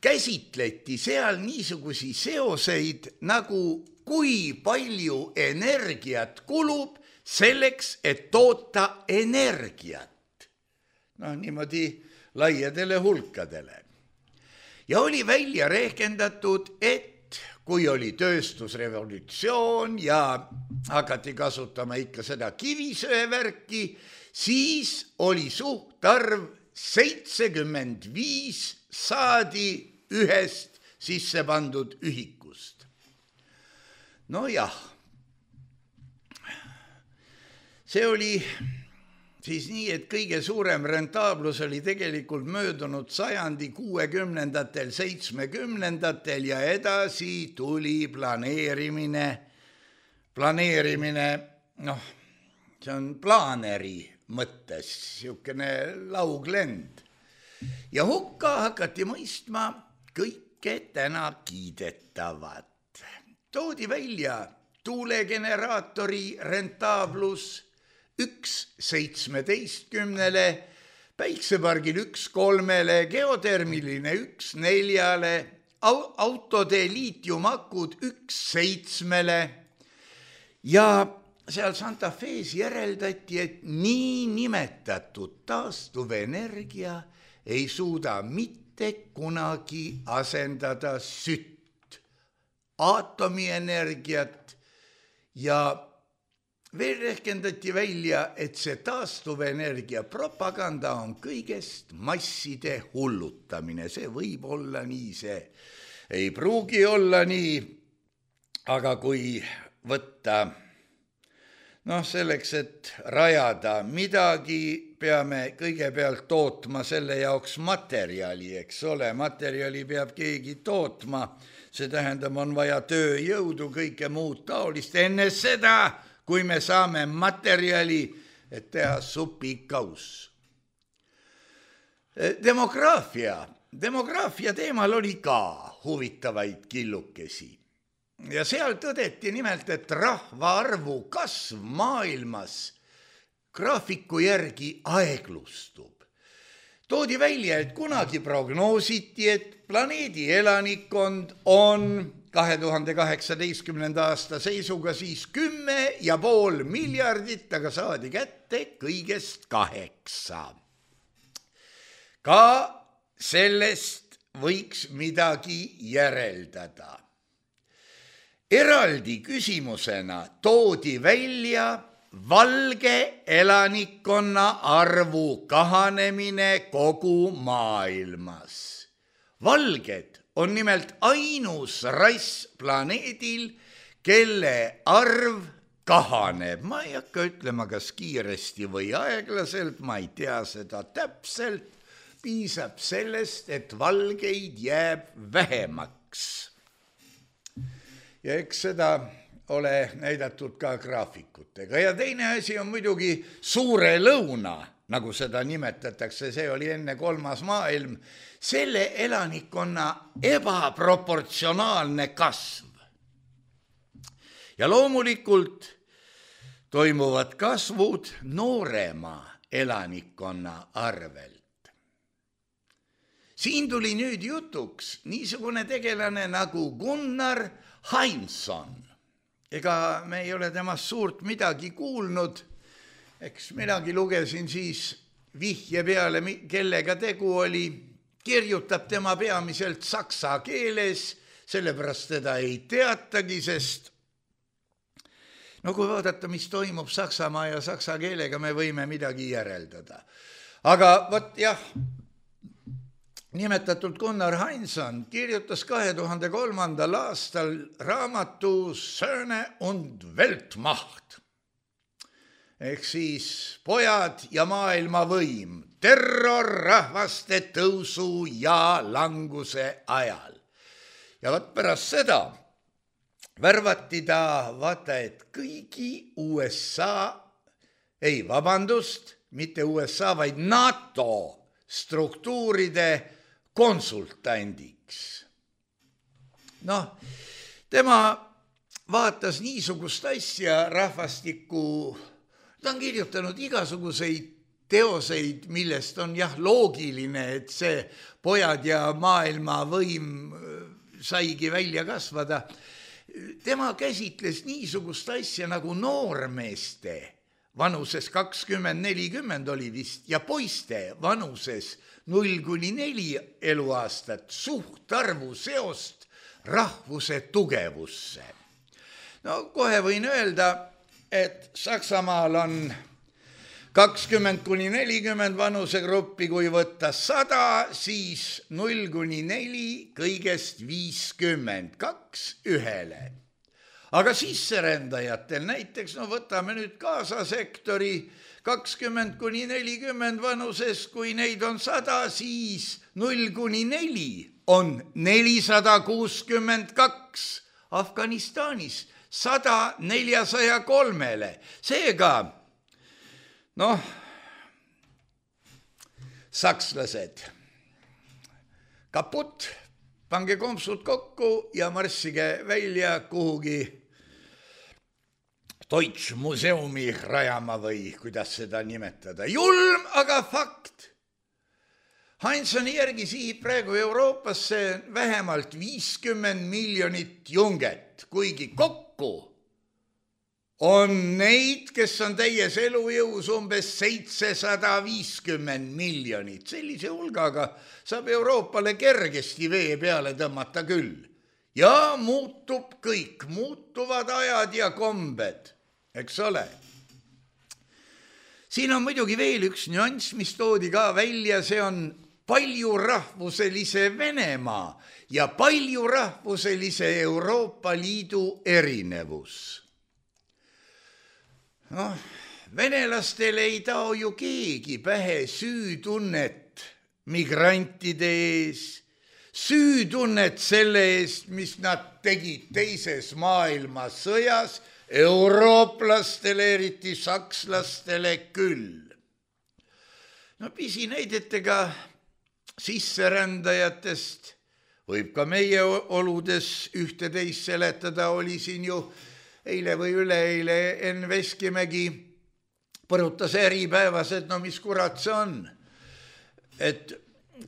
käsitleti seal niisugusi seoseid, nagu kui palju energiat kulub selleks, et toota energiat. Niimoodi laiadele hulkadele. ja oli välja rehkendatud, et kui oli tööstusrevolutsioon ja hakati kasutama ikka seda kivisöevärki, siis oli suhtarv 75 saadi ühest sisse pandud ühikust. Nojah, see oli siis nii, et kõige suurem rentaablus oli tegelikult möödunud sajandi 60-ndatel, 70-ndatel ja edasi tuli planeerimine, see on plaaneri mõttes, niisugune lauglend. Ja hukka hakati mõistma kõike täna kiidetavat. Toodi välja tuulegeneraatori rentaablus 1/17, päiksepargil 1/3, geotermiline 1/4, autode liitiumakud 1/7 ja seal Santa Fe's järeldati, et nii nimetatud taastuvenergia ei suuda mitte kunagi asendada sütt, aatomienergiat ja veel rehkendati välja, et see taastuvenergia propaganda on kõigest masside hullutamine. See võib olla nii, see ei pruugi olla nii, aga kui võtta, selleks, et rajada midagi, peame kõigepealt tootma selle jaoks materjali, eks ole, materjali peab keegi tootma, see tähendab, on vaja tööjõudu, kõike muud taolist, enne seda, kui me saame materjali, et teha supikauss. Demograafia teemal oli ka huvitavaid killukesi. Ja seal tõdeti nimelt, et rahvaarvu kasv maailmas graafiku järgi aeglustub. Toodi välja, et kunagi prognoositi, et planeedi elanikkond on 2018. aasta seisuga siis 10,5 miljardit, aga saadi kätte kõigest 8. Ka sellest võiks midagi järeldada. Eraldi küsimusena toodi välja valge elanikkonna arvu kahanemine kogu maailmas. Valged on nimelt ainus rass planeedil, kelle arv kahaneb. Ma ei hakka ütlema, kas kiiresti või aeglaselt, ma ei tea seda täpselt. Piisab sellest, et valgeid jääb vähemaks. Ja eks seda ole näidatud ka graafikutega. Ja teine asi on muidugi suure lõuna, nagu seda nimetatakse, see oli enne 3. maailm, selle elanikkonna ebaproportsionaalne kasv. Ja loomulikult toimuvad kasvud noorema elanikkonna arvelt. Siin tuli nüüd jutuks niisugune tegelane nagu Gunnar Hansson. Ega me ei ole temast suurt midagi kuulnud, eks minagi lugesin siis vihje peale, kellega tegu oli, kirjutab tema peamiselt saksa keeles, sellepärast teda ei teatagi, sest kui vaadata, mis toimub Saksamaa ja saksa keelega, me võime midagi järeldada. Aga võt jah, nimetatud Gunnar Hansson kirjutas 2003. aastal raamatu Söhne und Weltmacht. Ehk siis pojad ja maailmavõim, terror rahvaste tõusu ja languse ajal. Ja pärast seda värvati ta, vaata, et kõigi mitte USA, vaid NATO struktuuride konsultandiks. Tema vaatas niisugust asja rahvastiku, ta on kirjutanud igasuguseid teoseid, millest on loogiline, et see pojad ja maailmavõim saigi välja kasvada. Tema käsitles niisugust asja nagu noormeeste vanuses 20-40 oli vist ja poiste vanuses 0-4 eluaastat suhtarvu seost rahvuse tugevusse. No kohe võin öelda, et Saksamaal on 20-40 vanusegruppi, kui võtta 100, siis 0-4 kõigest 50, 2:1. Aga sisserändajatel näiteks, no võtame nüüd Gaza sektori 20-40 vanuses, kui neid on 100, siis 0-4 on 462, Afganistanis 100 403. Seega, sakslased, kaput, pange kompsud kokku ja marssige välja kuhugi Deutschmuseumi rajama või kuidas seda nimetada. Julm, aga fakt. Hansoni järgi sihib praegu Euroopasse vähemalt 50 miljonit junget, kuigi kokku on neid, kes on täies elujõus umbes 750 miljonit. Sellise hulgaga saab Euroopale kergesti vee peale tõmmata küll. Ja muutub kõik, muutuvad ajad ja kombed, eks ole. Siin on muidugi veel üks nüanss, mis toodi ka välja, see on paljurahvuselise Venemaa ja paljurahvuselise Euroopa Liidu erinevus. Venelastel ei tao ju keegi pähe süütunnet migrantide ees, süütunnet selle eest, mis nad tegid teises maailmasõjas, eurooplastele, eriti sakslastele küll. Pisinäidetega sisserändajatest võib ka meie oludes ühte-teist seletada, oli siin ju eile või üleeile Enn Veskimägi põrutas Äripäevas, et mis kurat see on. Et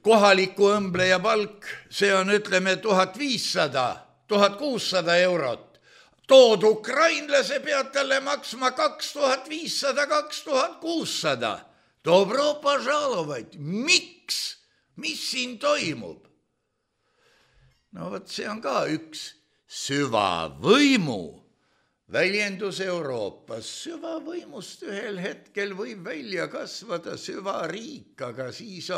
kohaliku õmbleja palk, see on, ütleme, 1500-1600 eurot. Tood ukrainlase pead talle maksma 2500-2600. Dobro požalovaid. Miks? Mis siin toimub? Vot see on ka üks süvavõimu väljendus Euroopas. Süvavõimust ühel hetkel võib välja kasvada süvariik, aga siis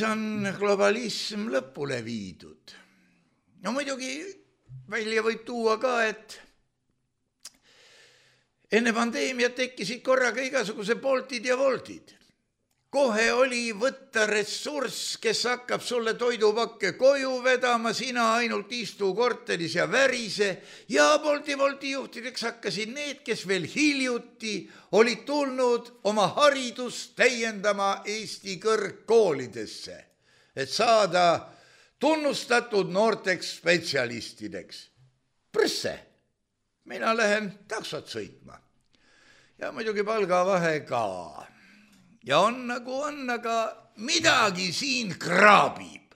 on globalism lõpule viidud. Muidugi välja võib tuua ka, et enne pandeemiat tekkisid korraga igasuguse Boltid ja Woltid. Kohe oli võtta ressurss, kes hakkab sulle toidupakke koju vedama, sina ainult istu korteris ja värise, ja Bolti juhtideks hakkasid need, kes veel hiljuti olid tulnud oma haridust täiendama Eesti kõrgkoolidesse, et saada tunnustatud noorteks spetsialistideks. Prõsse, mina lähen taksot sõitma. Ja muidugi palgavahe ka. Ja on nagu on, aga midagi siin kraabib.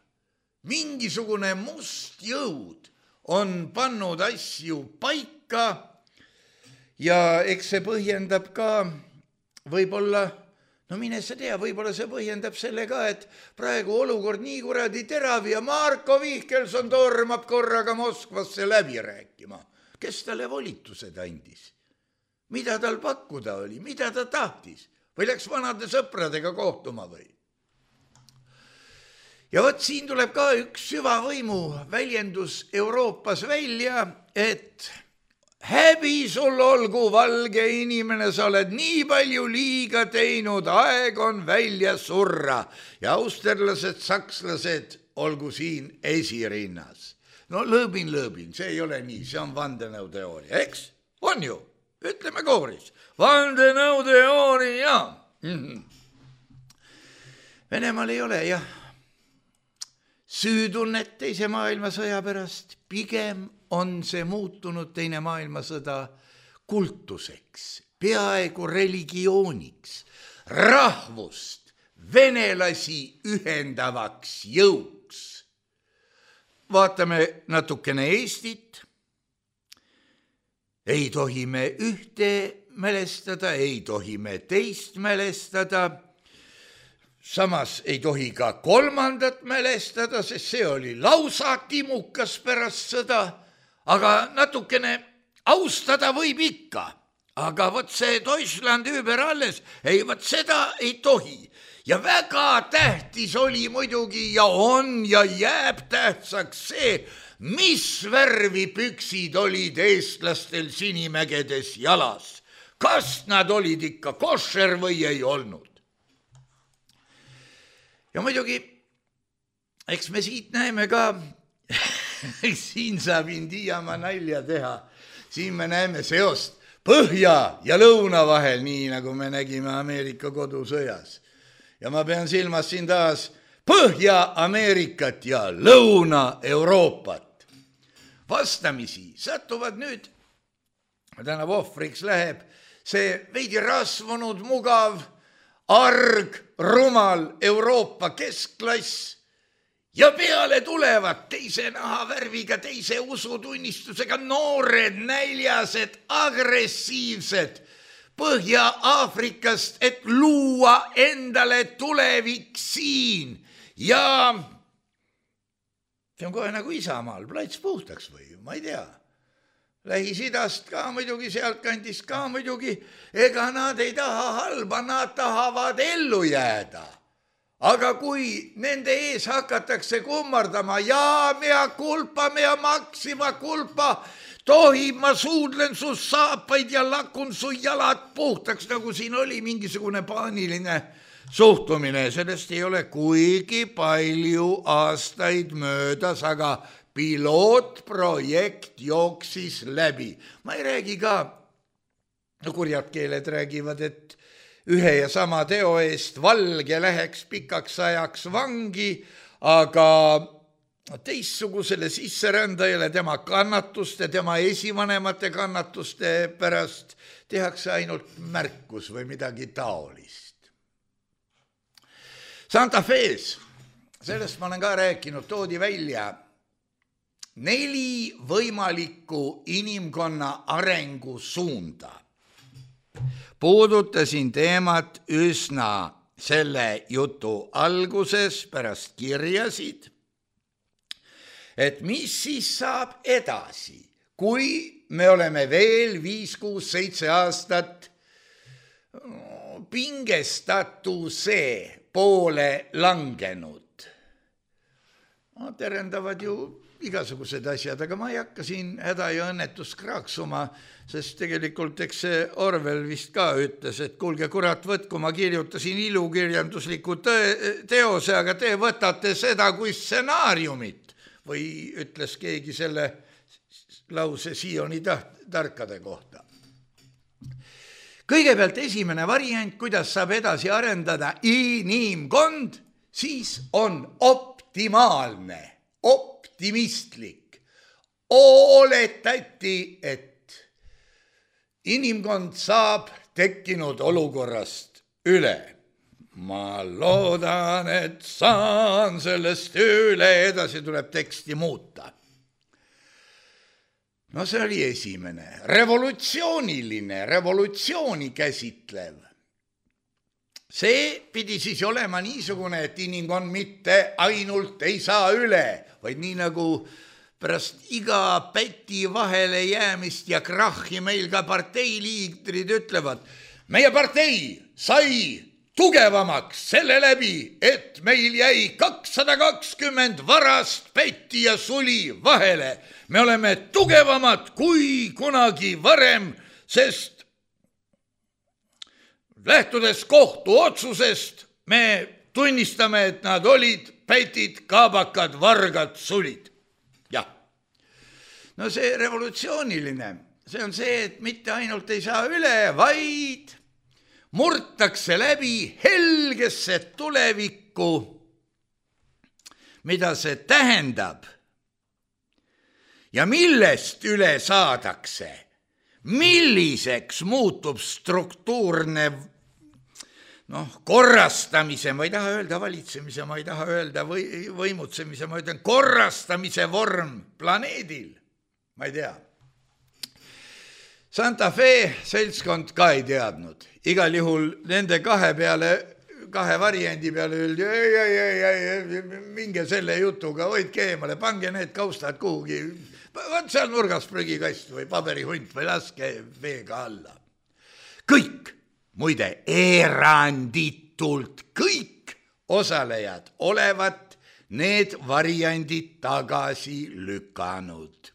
Mingisugune must jõud on pannud asju paika ja eks see põhjendab ka võib-olla, mine sa tea, võib-olla see põhjendab selle ka, et praegu olukord nii kuradi terav ja Marko Vihkelson tormab korraga Moskvasse läbi rääkima. Kes talle volitused andis? Mida tal pakkuda oli? Mida ta tahtis? Või läks vanade sõpradega kohtuma või? Ja vot siin tuleb ka üks süvavõimu väljendus Euroopas välja, et häbi sul olgu, valge inimene, sa oled nii palju liiga teinud, aeg on välja surra. Ja austerlased, sakslased olgu siin esirinnas. Lõõbin, see ei ole nii, see on vandenõuteooria, eks? On ju? Ütleme kooris. Vandenõuteooria. Venemaal ei ole, jah, süütunnet teise maailmasõja pärast. Pigem on see muutunud teine maailmasõda kultuseks, peaaegu religiooniks, rahvust, venelasi ühendavaks jõuks. Vaatame natukene Eestit. ei tohi me ühte mälestada, ei tohi me teist mälestada, samas ei tohi ka kolmandat mälestada, sest see oli lausa timukas pärast sõda, aga natukene austada võib ikka. Aga vot see Deutschland über alles, ei vot seda ei tohi. Ja väga tähtis oli muidugi ja on ja jääb tähtsaks see, mis värvi püksid olid eestlastel Sinimägedes jalas. Kas nad olid ikka košer või ei olnud? Ja muidugi, eks me siit näeme ka, siin saab Indiamaa nalja teha, siin me näeme seost põhja ja lõuna vahel, nii nagu me nägime Ameerika kodusõjas. Ja ma pean silmas siin taas Põhja-Ameerikat ja Lõuna-Euroopat. Vastamisi satuvad nüüd, tänav ohvriks läheb, see veidi rasvunud, mugav, arg, rumal Euroopa keskklass ja peale tulevad teise nahavärviga, teise usutunnistusega noored, näljased, agressiivsed Põhja-Aafrikast, et luua endale tulevik siin. Ja see on kohe nagu Isamaal, plats puhtaks või, ma ei tea. Lähis-Idast ka muidugi, sealt kandist ka muidugi, ega nad ei taha halba, nad tahavad ellu jääda. Aga kui nende ees hakatakse kummardama, jaa, mea kulpa, mea maksima kulpa, tohib, ma suudlen su saapaid ja lakun su jalad puhtaks, nagu siin oli mingisugune paaniline suhtumine. Sellest ei ole kuigi palju aastaid möödas, aga pilootprojekt jooksis läbi. Ma ei räägi ka, kurjad keeled räägivad, et ühe ja sama teo eest valge läheks pikaks ajaks vangi, aga teistsugusele sisserändajale tema kannatuste, tema esivanemate kannatuste pärast tehakse ainult märkus või midagi taolist. Santa Fe's, sellest ma olen ka rääkinud, toodi välja 4 võimalikku inimkonna arengusuunda. Puudutasin teemat üsna selle jutu alguses, pärast kirjasid, et mis siis saab edasi, kui me oleme veel 5, 6, 7 aastat pingestatuse poole langenud. Terendavad ju igasugused asjad, aga ma ei hakka siin häda ja õnnetust kraaksuma, sest tegelikult eks see Orwell vist ka ütles, et kuulge kurat, võtku, ma kirjutasin ilukirjandusliku teose, aga te võtate seda kui stsenaariumit. Või ütles keegi selle lause Sioni tarkade kohta. Kõigepealt esimene variant, kuidas saab edasi arendada inimkond, siis on optimaalne, optimistlik. Oletati, et inimkond saab tekkinud olukorrast üle. Ma loodan, et saan sellest üle, edasi tuleb teksti muuta. No see oli esimene, revolutsiooniline, revolutsiooni käsitlev. See pidi siis olema niisugune, et inimkond mitte ainult ei saa üle, vaid nii nagu pärast iga päti vahele jäämist ja krahhi meil ka parteiliidrid ütlevad, meie partei sai tugevamaks selle läbi, et meil jäi 220 varast pätti ja suli vahele. Me oleme tugevamad kui kunagi varem, sest lähtudes kohtu otsusest me tunnistame, et nad olid pätid, kaabakad, vargad, sulid. Jah. No see revolutsiooniline, see on see, et mitte ainult ei saa üle, vaid murtakse läbi helgesse tulevikku, mida see tähendab ja millest üle saadakse, milliseks muutub struktuurne korrastamise, ma ei taha öelda valitsemise, ma ei taha öelda võimutsemise, ma ütlen korrastamise vorm planeedil, ma ei tea. Santa Fe seltskond ka ei teadnud. Igal juhul nende kahe variandi peale öeldi, ei, minge selle jutuga, hoidke eemale, pange need kaustad kuhugi, võt seal nurgas prügikast või paberihunt või laske veega alla. Kõik, muide, eranditult kõik osalejad olevat need variandid tagasi lükanud.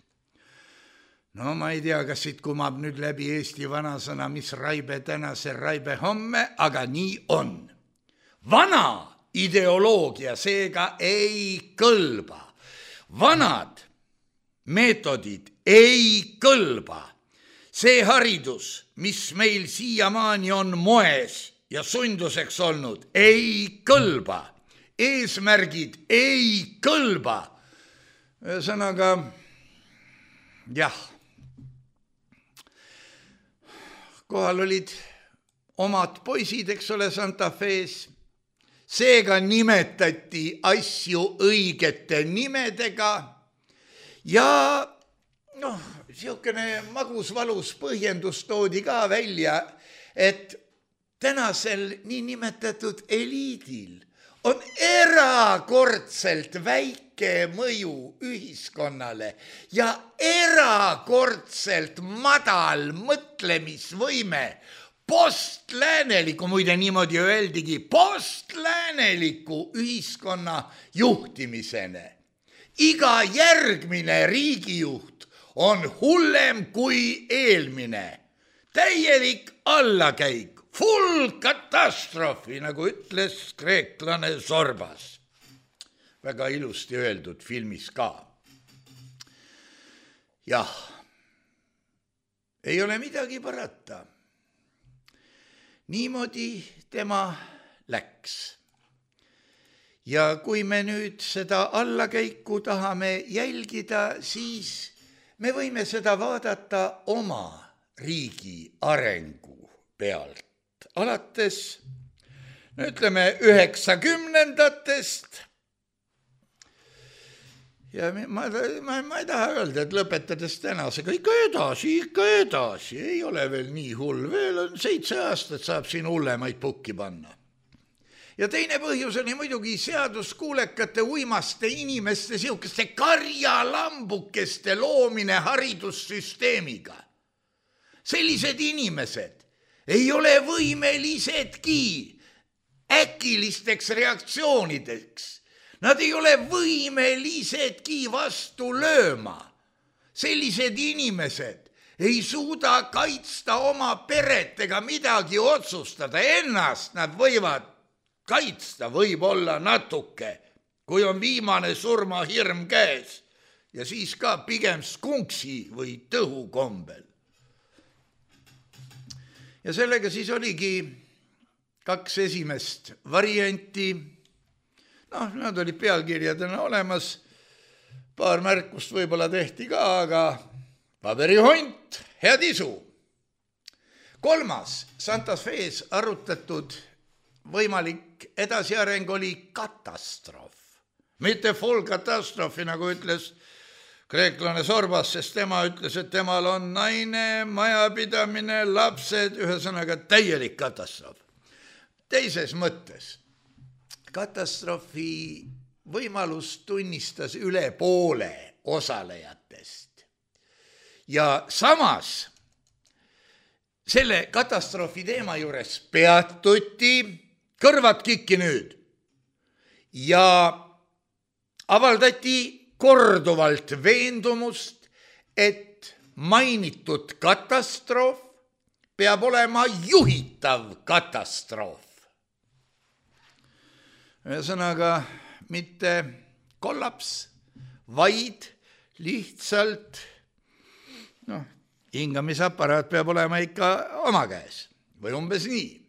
No ma ei tea, kas siit kumab nüüd läbi Eesti vanasõna, mis raibe täna, see raibe homme, aga nii on. Vana ideoloogia seega ei kõlba. Vanad meetodid ei kõlba. See haridus, mis meil siiamaani on moes ja sunduseks olnud, ei kõlba. Eesmärgid ei kõlba. Ühesõnaga, jah, kohal olid omad poisid, eks ole, Santa Fe's. Seega nimetati asju õigete nimedega ja siukene magus-valus põhjendus toodi ka välja, et tänasel niinimetatud eliidil on erakordselt väike mõju ühiskonnale ja erakordselt madal mõtlemisvõime postlääneliku, muide niimoodi öeldigi, postlääneliku ühiskonna juhtimisene. Iga järgmine riigijuht on hullem kui eelmine. Täielik allakäik. Full katastroofi, nagu ütles kreeklane Sorbas. Väga ilusti öeldud filmis ka. Jah, ei ole midagi parata. Niimoodi tema läks. Ja kui me nüüd seda allakäiku tahame jälgida, siis me võime seda vaadata oma riigi arengu pealt. Alates, ütleme, 90-ndatest ja ma ei taha öelda, et lõpetades tänasega ikka edasi, ei ole veel nii hull, veel on 7 aastat saab siin hullemaid pukki panna. Ja teine põhjus oli muidugi seaduskuulekate uimaste inimeste siukeste karjalambukeste loomine haridussüsteemiga. Sellised inimesed ei ole võimelisedki äkilisteks reaktsioonideks. Nad ei ole võimelisedki vastu lööma. Sellised inimesed ei suuda kaitsta oma peret ega midagi otsustada. Ennast nad võivad kaitsta võib-olla natuke, kui on viimane surmahirm käes ja siis ka pigem skunksi või tõhu kombel. Ja sellega siis oligi 2 esimest varianti. Nad olid pealkirjadena olemas. Paar märkust võib-olla tehti ka, aga paberihunt, head isu. 3. Santa Fe's arutatud võimalik edasiareng oli katastroof. Mitte full katastroofi, nagu ütles kreeklane Sorbas, sest tema ütles, et temal on naine, majapidamine, lapsed, ühesõnaga täielik katastroof. Teises mõttes, katastroofi võimalus tunnistas üle poole osalejatest. Ja samas selle katastroofi teema juures peatuti, kõrvad kikki nüüd, ja avaldati korduvalt veendumust, et mainitud katastroof peab olema juhitav katastroof. Ühesõnaga mitte kollaps, vaid lihtsalt hingamisaparaat peab olema ikka oma käes või umbes nii.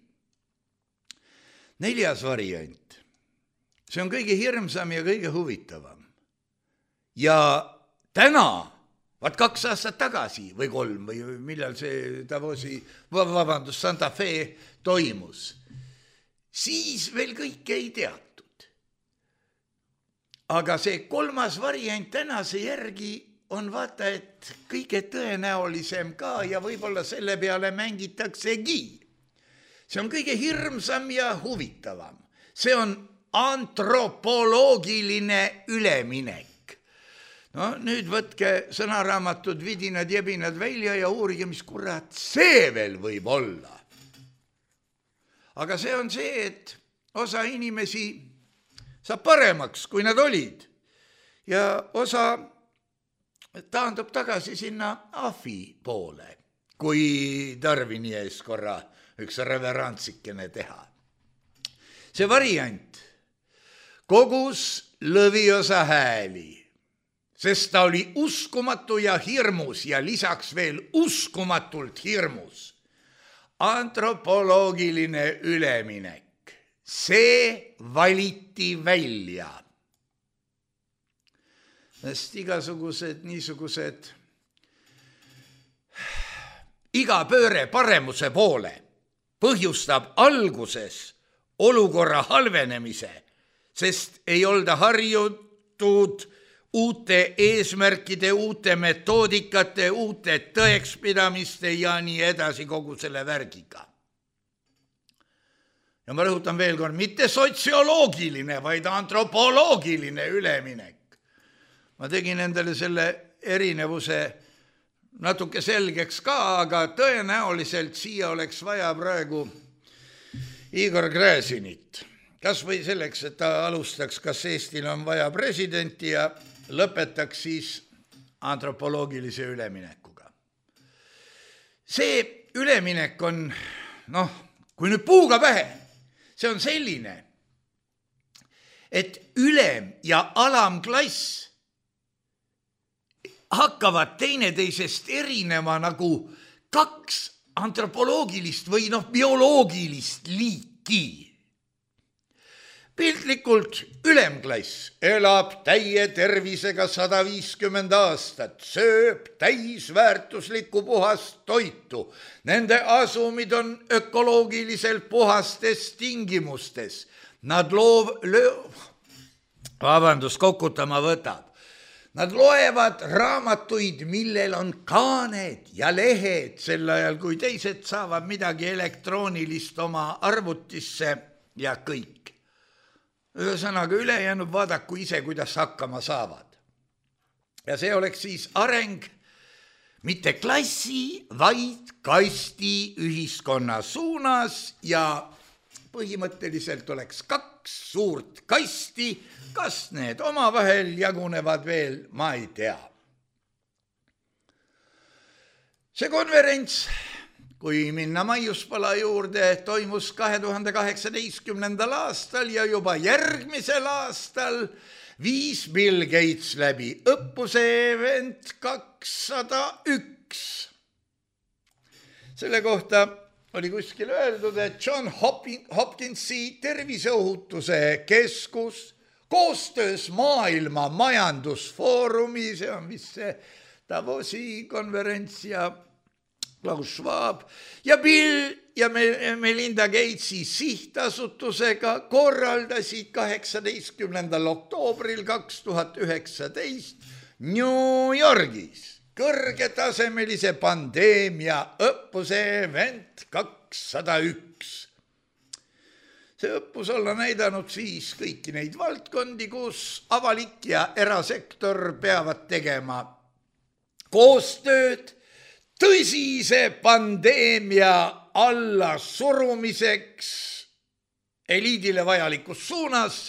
4. variant. See on kõige hirmsam ja kõige huvitavam. Ja täna, 2 aastat tagasi või 3 või millal see Santa Fe toimus, siis veel kõike ei teatud. Aga see 3. variant tänase järgi on vaata, et kõige tõenäolisem ka ja võib-olla selle peale mängitaksegi. See on kõige hirmsam ja huvitavam. See on antropoloogiline üleminek. No nüüd võtke sõnaraamatud, vidinad, jebinad välja ja uurige, mis kurat see veel võib olla. Aga see on see, et osa inimesi saab paremaks, kui nad olid. Ja osa taandub tagasi sinna ahvi poole, kui Darwini ees korra üks reverantsikene teha. See variant kogus lõviosa hääli, sest ta oli uskumatu ja hirmus ja lisaks veel uskumatult hirmus. Antropoloogiline üleminek, see valiti välja. Sest igasugused niisugused iga pööre paremuse poole põhjustab alguses olukorra halvenemise, sest ei olda harjutud uute eesmärkide, uute metoodikate, uute tõekspidamiste ja nii edasi kogu selle värgiga. Ja ma rõhutan veel kord, mitte sotsioloogiline, vaid antropoloogiline üleminek. Ma tegin endale selle erinevuse natuke selgeks ka, aga tõenäoliselt siia oleks vaja praegu Igor Gräzinit. Kas või selleks, et ta alustaks, kas Eestil on vaja presidenti ja lõpetaks siis antropoloogilise üleminekuga. See üleminek on, kui nüüd puuga pähe, see on selline, et ülem- ja alamklass hakkavad teineteisest erinema nagu kaks antropoloogilist või bioloogilist liiki. Piltlikult ülemklass elab täie tervisega 150 aastat, sööb täisväärtuslikku puhast toitu. Nende asumid on ökoloogiliselt puhastes tingimustes. Nad kokutama võtab. Nad loevad raamatuid, millel on kaaned ja lehed, sel ajal kui teised saavad midagi elektroonilist oma arvutisse ja kõik. Ühesõnaga ülejäänud vaadaku ise, kuidas hakkama saavad. Ja see oleks siis areng mitte klassi, vaid kasti ühiskonna suunas ja põhimõtteliselt oleks kaks suurt kasti, kas need omavahel jagunevad veel, ma ei tea. See konverents, kui minna Maiuspala juurde, toimus 2018. aastal ja juba järgmisel aastal viis Bill Gates läbi õppuse Event 201. Selle kohta oli kuskil öeldud, et John Hopkinsi terviseohutuse keskus koostöös Maailma Majandusfoorumi, see on vist see Davosi konverents ja Klaus Schwab ja Bill ja Melinda Gatesi sihtasutusega korraldasid 18. oktoobril 2019 New Yorgis kõrgetasemelise pandeemia õppuse Event 201. See õppus olla näidanud siis kõiki neid valdkondi, kus avalik ja erasektor peavad tegema koostööd tõsise pandeemia alla surumiseks eliidile vajalikus suunas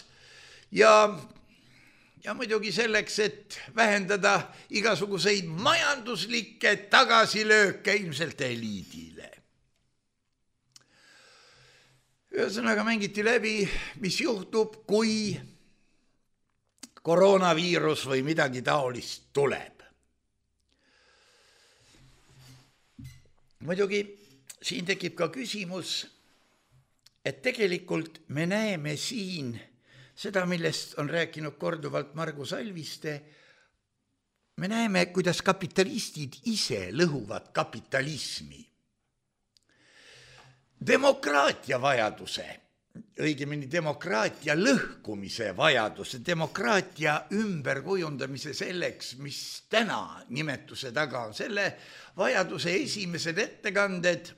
ja muidugi selleks, et vähendada igasuguseid majanduslikke tagasilööke ilmselt eliidile. Ühesõnaga mängiti läbi, mis juhtub, kui koroonaviirus või midagi taolist tuleb. Muidugi siin tekib ka küsimus, et tegelikult me näeme siin seda, millest on rääkinud korduvalt Margus Alviste, me näeme, kuidas kapitalistid ise lõhuvad kapitalismi. Demokraatia vajaduse õigemini demokraatia lõhkumise vajaduse, demokraatia ümberkujundamise selleks, mis täna nimetuse taga on. Selle vajaduse esimesed ettekanded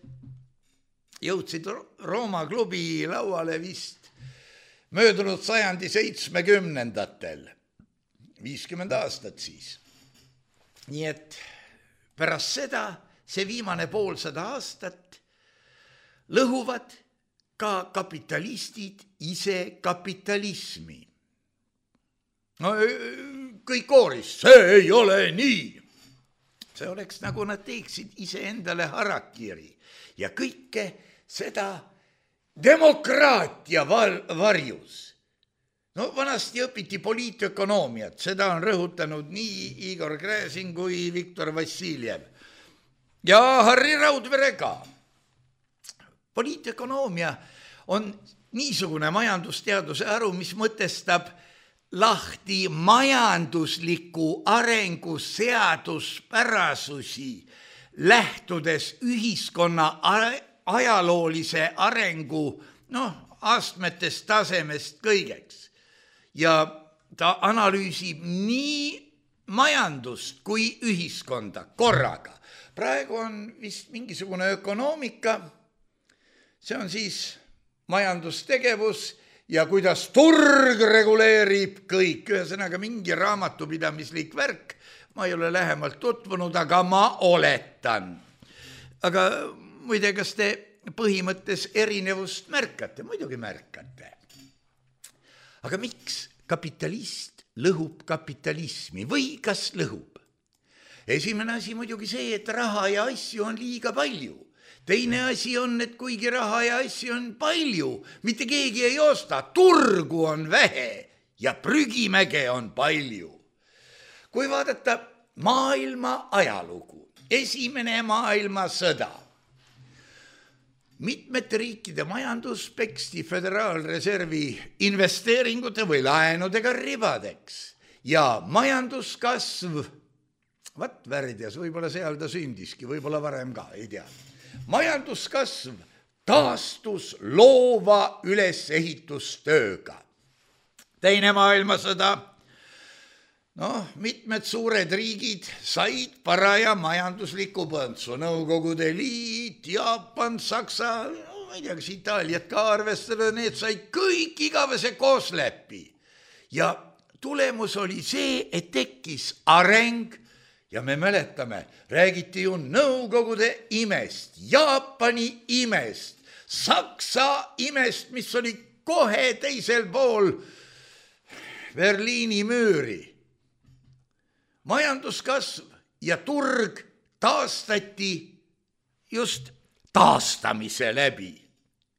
jõudsid Rooma klubi lauale vist möödunud sajandi 70-ndatel, 50 aastat siis. Nii et pärast seda, see viimane poolsada aastat, lõhuvad ka kapitalistid ise kapitalismi. No kõik kooris, see ei ole nii. See oleks nagu nad teeksid ise endale harakiri ja kõike seda demokraatia varjus. No vanasti õpiti poliitökonoomiat, seda on rõhutanud nii Igor Gräzin kui Viktor Vassiljev ja Harri Raudvere ka. Poliitökonoomia on niisugune majandusteaduse haru, mis mõtestab lahti majandusliku arengu seaduspärasusi, lähtudes ühiskonna ajaloolise arengu astmetest, tasemest kõigeks. Ja ta analüüsib nii majandust kui ühiskonda korraga. Praegu on vist mingisugune ökonoomika, see on siis majandustegevus ja kuidas turg reguleerib kõik. Ühesõnaga mingi raamatupidamislik värk, ma ei ole lähemalt tutvunud, aga ma oletan. Aga muide, kas te põhimõttes erinevust märkate? Muidugi märkate. Aga miks kapitalist lõhub kapitalismi või kas lõhub? Esimene asi muidugi see, et raha ja asju on liiga palju. Teine asi on, et kuigi raha ja asju on palju, mitte keegi ei osta, turgu on vähe ja prügimäge on palju. Kui vaadata maailma ajalugu, esimene maailmasõda, mitmete riikide majandus peksti föderaalreservi investeeringute või laenudega ribadeks ja majanduskasv, Värdjas, võib-olla seal ta sündiski, võib-olla varem ka, ei tea. Majanduskasv taastus loova ülesehitustööga. Teine maailmasõda, mitmed suured riigid said paraja majandusliku põntsu. Nõukogude Liit, Jaapan, Saksa, ma ei tea, kas Itaaliat ka arvestada, need said kõik igavese koosläpi. Ja tulemus oli see, et tekkis areng. Ja me mäletame, räägiti ju Nõukogude imest, Jaapani imest, Saksa imest, mis oli kohe teisel pool Berliini müüri. Majanduskasv ja turg taastati just taastamise läbi.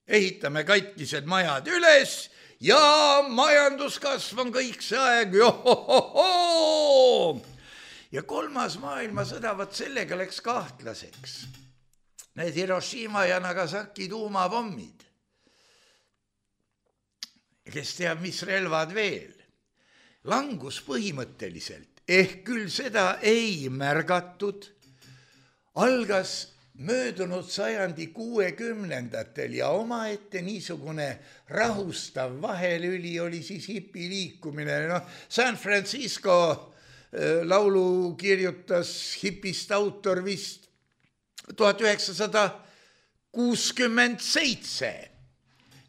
Ehitame katkised majad üles ja majanduskasv on kõik see aeg. Johohoho! Ja kolmas maailmasõda, sellega läks kahtlaseks. Need Hiroshima ja Nagasaki tuumapommid. Kes teab, mis relvad veel. Langus põhimõtteliselt, küll seda ei märgatud, algas möödunud sajandi 60-ndatel ja omaette niisugune rahustav vahelüli oli siis hipiliikumine. San Francisco laulu kirjutas hipist autor vist 1967.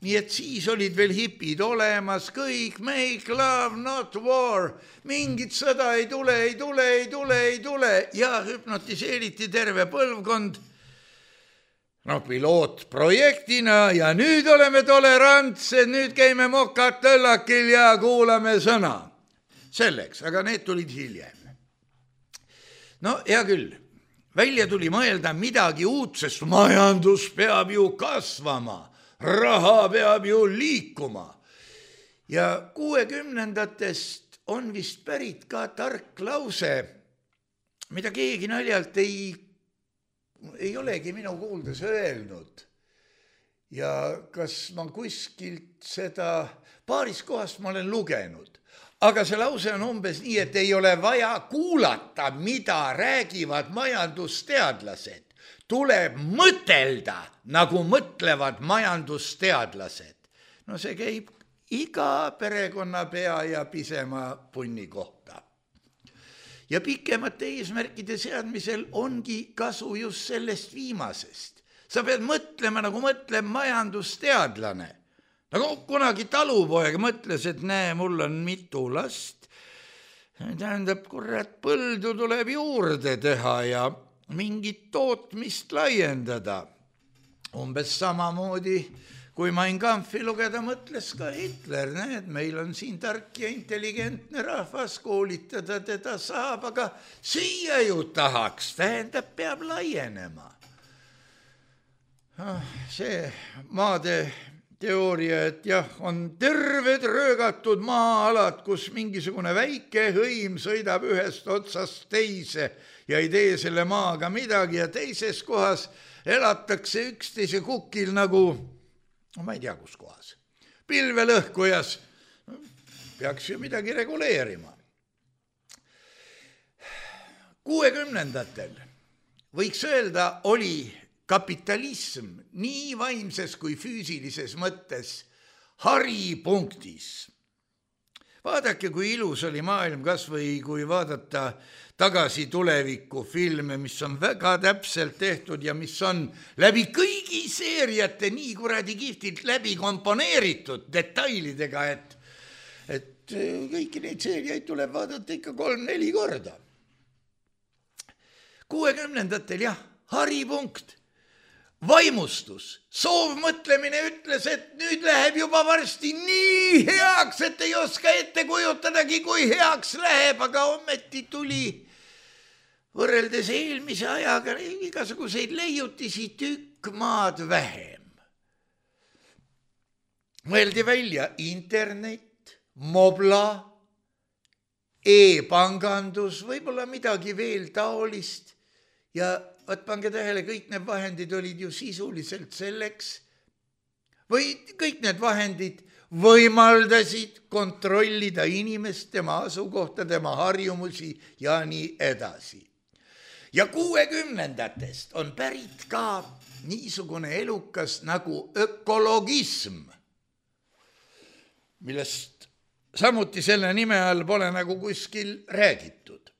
Nii et siis olid veel hipid olemas, kõik make love, not war, mingit sõda ei tule ja hüpnotiseeriti terve põlvkond pilootprojektina ja nüüd oleme tolerantsed, nüüd käime mokad tõllakil ja kuulame sõna. Selleks, aga need tulid hiljem. Hea küll, välja tuli mõelda midagi uut, sest majandus peab ju kasvama, raha peab ju liikuma. Ja 60-ndatest on vist pärit ka tark lause, mida keegi naljalt ei olegi minu kuuldes öelnud. Ja kas ma kuskilt seda paaris kohast ma olen lugenud. Aga see lause on umbes nii, et ei ole vaja kuulata, mida räägivad majandusteadlased. Tuleb mõtelda, nagu mõtlevad majandusteadlased. no see käib iga perekonnapea ja pisema punni kohta. Ja pikemate eesmärkide seadmisel ongi kasu just sellest viimasest. Sa pead mõtlema, nagu mõtleb majandusteadlane. Nagu kunagi talupoeg mõtles, et näe, mul on mitu last. Tähendab, kurat, põldu tuleb juurde teha ja mingit tootmist laiendada. Umbes samamoodi, kui Mein Kampfi lugeda, mõtles ka Hitler, näed, meil on siin tark ja intelligentne rahvas, koolitada teda saab, aga süüa ju tahaks, tähendab, peab laienema. See maade teooria, et jah, on terved röögatud maa-alad, kus mingisugune väike hõim sõidab ühest otsast teise ja ei tee selle maaga midagi ja teises kohas elatakse üksteise kukil nagu ma ei tea, kus kohas. Pilvelõhkujas peaks ju midagi reguleerima. 60-ndatel võiks öelda, oli kapitalism nii vaimses kui füüsilises mõttes haripunktis. Vaadake, kui ilus oli maailm, kas või kui vaadata tagasi tuleviku filme, mis on väga täpselt tehtud ja mis on läbi kõigi seeriate nii kuradi kihvtilt läbi komponeeritud detailidega, et kõiki neid seeriaid tuleb vaadata ikka 3-4 korda. 60-ndatel jah, haripunkt, vaimustus, soovmõtlemine ütles, et nüüd läheb juba varsti nii heaks, et ei oska ette kujutadagi, kui heaks läheb, aga ometi tuli võrreldes eelmise ajaga igasuguseid leiutisi tükk maad vähem. Mõeldi välja internet, mobla, e-pangandus, võib-olla midagi veel taolist ja võt pange tähele, kõik need vahendid olid ju sisuliselt selleks või kõik need vahendid võimaldasid kontrollida inimest, tema asukohta, tema harjumusi ja nii edasi. Ja 60-ndatest on pärit ka niisugune elukas nagu ökologism, millest samuti selle nime all pole nagu kuskil räägitud.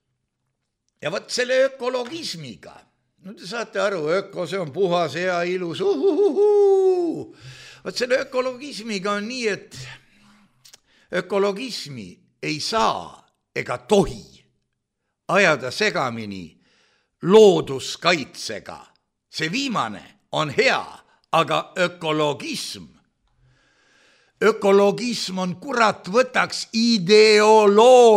Ja võt selle ökologismiga, no te saate aru, öko, see on puhas, hea, ilus, Võt selle ökologismiga on nii, et ökologismi ei saa ega tohi ajada segamini looduskaitsega. See viimane on hea, aga ökologism on kurat võtaks ideoloogia,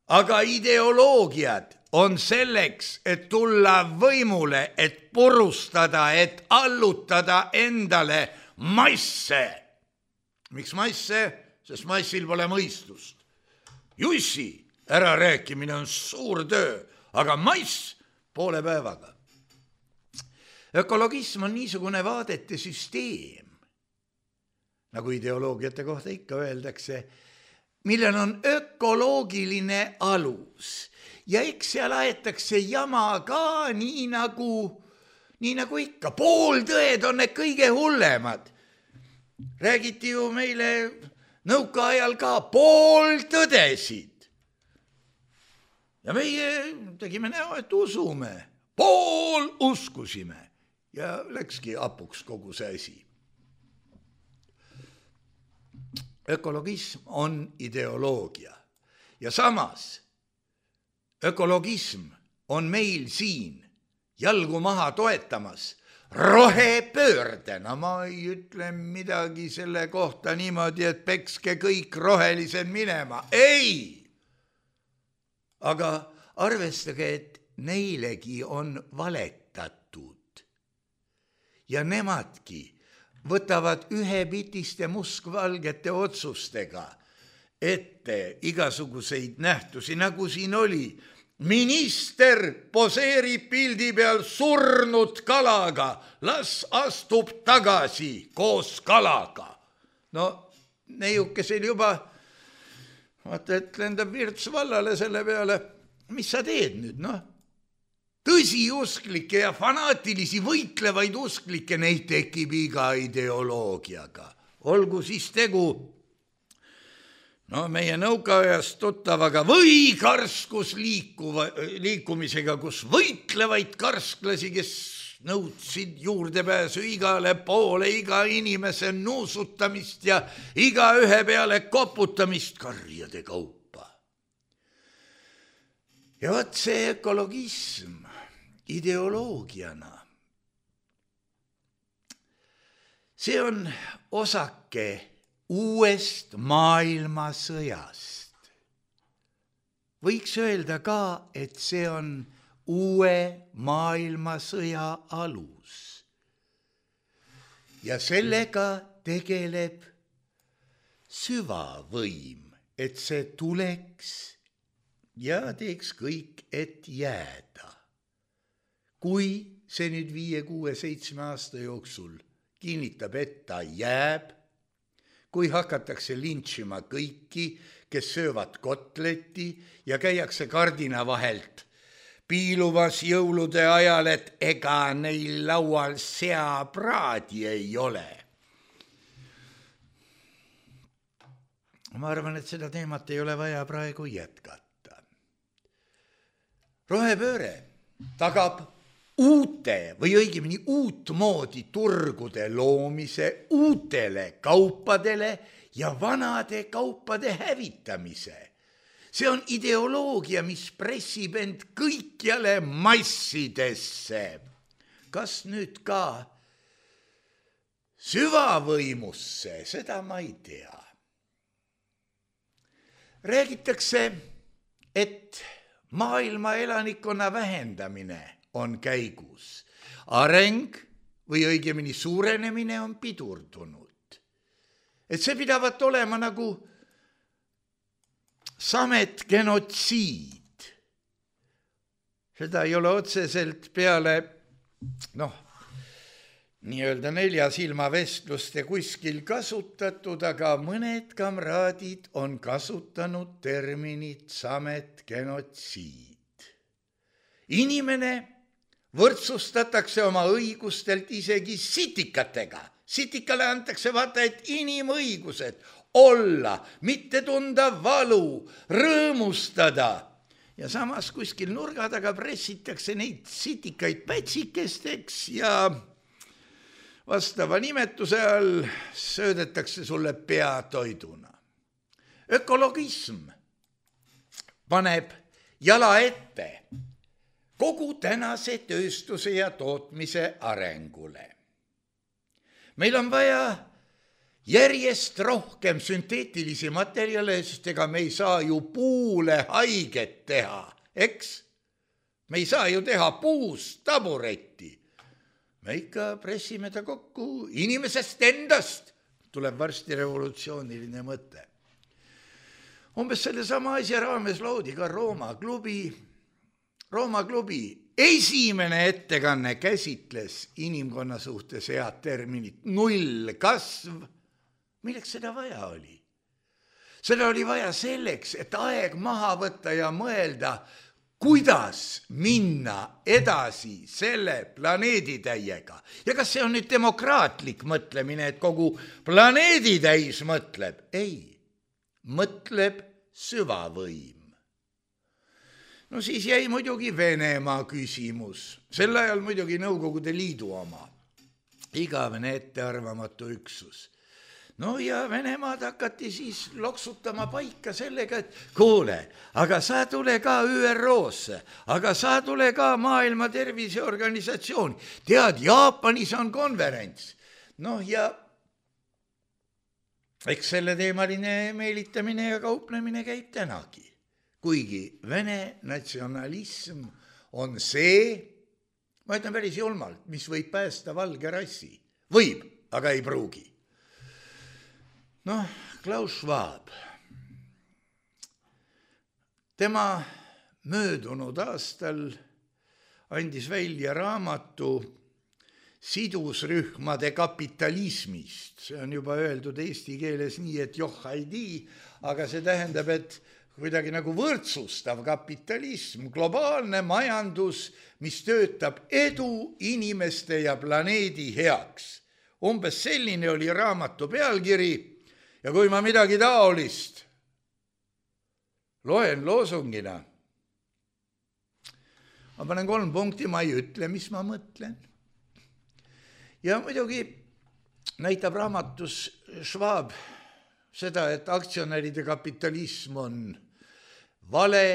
aga ideoloogiad on selleks, et tulla võimule, et purustada, et allutada endale masse. Miks masse? Sest massil pole mõistust. Jussi ärarääkimine on suur töö, aga mass poole päevaga. Ökologism on niisugune vaadete süsteem, nagu ideoloogiate kohta ikka öeldakse, millel on ökoloogiline alus. Ja eks seal aetakse jama ka nii nagu ikka. Pooltõed on need kõige hullemad. Räägiti ju meile nõukaajal ka pooltõdesid. Ja meie tegime näo, et usume. Pool uskusime. Ja läkski apuks kogu see asi. Ökologism on ideoloogia. Ja samas ökologism on meil siin jalgu maha toetamas rohepöördena. Ma ei ütle midagi selle kohta niimoodi, et pekske kõik rohelised minema. Ei! Aga arvestage, et neilegi on valetatud. Ja nemadki võtavad ühepitiste muskvalgete otsustega ette igasuguseid nähtusi, nagu siin oli. Minister poseerib pildi peal surnud kalaga, las astub tagasi koos kalaga. No neiukesel juba, vaata, et lendab virts vallale selle peale. Mis sa teed nüüd, noh? Tõsiusklikke ja fanaatilisi võitlevaid usklikke, neid tekib iga ideoloogiaga. olgu siis tegu meie nõukaajast tuttavaga või karskus liikumisega, kus võitlevaid karsklasi, kes nõudsid juurdepääsu igale poole, iga inimese nuusutamist ja iga ühe peale koputamist karjade kaupa. Ja võt see ökologism ideoloogiana, see on osake uuest maailmasõjast. Võiks öelda ka, et see on uue maailmasõja alus. Ja sellega tegeleb süvavõim, et see tuleks ja teeks kõik, et jääda. Kui see nüüd 5, 6, 7 aasta jooksul kinnitab, et ta jääb, kui hakatakse lintšima kõiki, kes söövad kotleti ja käiakse kardina vahelt piilumas jõulude ajal, et ega neil laual seapraadi ei ole. Ma arvan, et seda teemat ei ole vaja praegu jätkata. Rohepööre tagab uute või õigemini uutmoodi turgude loomise uutele kaupadele ja vanade kaupade hävitamise. See on ideoloogia, mis pressib end kõikjale massidesse. Kas nüüd ka süvavõimusse, seda ma ei tea. Räägitakse, et maailma elanikkonna vähendamine on käigus. Areng või õigemini suurenemine on pidurdunud. Et see pidavat olema nagu samet genotsiid. Seda ei ole otseselt peale nii-öelda 4 silma vestluste kuskil kasutatud, aga mõned kamraadid on kasutanud terminit samet genotsiid. Inimene võrdsustatakse oma õigustelt isegi sitikatega. Sitikale antakse vaata, et inimõigused olla, mitte tunda valu, rõõmustada. Ja samas kuskil nurga taga pressitakse neid sitikaid pätsikesteks ja vastava nimetuse all söödetakse sulle peatoiduna. Ökologism paneb jala ette kogu tänase tööstuse ja tootmise arengule. Meil on vaja järjest rohkem sünteetilisi materjale, sest ega me ei saa ju puule haiget teha, eks? Me ei saa ju teha puust taburetti. Me ikka pressime ta kokku inimesest endast. Tuleb varsti revolutsiooniline mõte. Umbes selle sama asja raames loodi ka Rooma klubi esimene ettekanne käsitles inimkonna suhtes head terminit nullkasv. Milleks seda vaja oli? Seda oli vaja selleks, et aeg maha võtta ja mõelda, kuidas minna edasi selle planeeditäiega. Ja kas see on nüüd demokraatlik mõtlemine, et kogu planeeditäis mõtleb? Ei, mõtleb süvavõim. No siis jäi muidugi Venemaa küsimus. Sel ajal muidugi Nõukogude Liidu oma. Igavene ettearvamatu üksus. No ja Venemaad hakati siis loksutama paika sellega, et kuule, aga sa tule ka ÜRO-sse, aga sa tule ka Maailma Terviseorganisatsiooni. Tead, Jaapanis on konverents. No ja eks selle teemaline meelitamine ja kauplemine käib tänagi. Kuigi Vene natsionalism on see, ma ütlen päris julmalt, mis võib päästa valge rassi. Võib, aga ei pruugi. Klaus Schwab, tema möödunud aastal andis välja raamatu sidusrühmade kapitalismist. See on juba öeldud eesti keeles nii, et joh ei tii, aga see tähendab, et kuidagi nagu võrdsustav kapitalism, globaalne majandus, mis töötab edu inimeste ja planeedi heaks. Umbes selline oli raamatu pealkiri ja kui ma midagi taolist loen loosungina, ma panen 3 punkti, ma ei ütle, mis ma mõtlen. Ja muidugi näitab raamatus Schwab seda, et aktsionäride kapitalism on vale,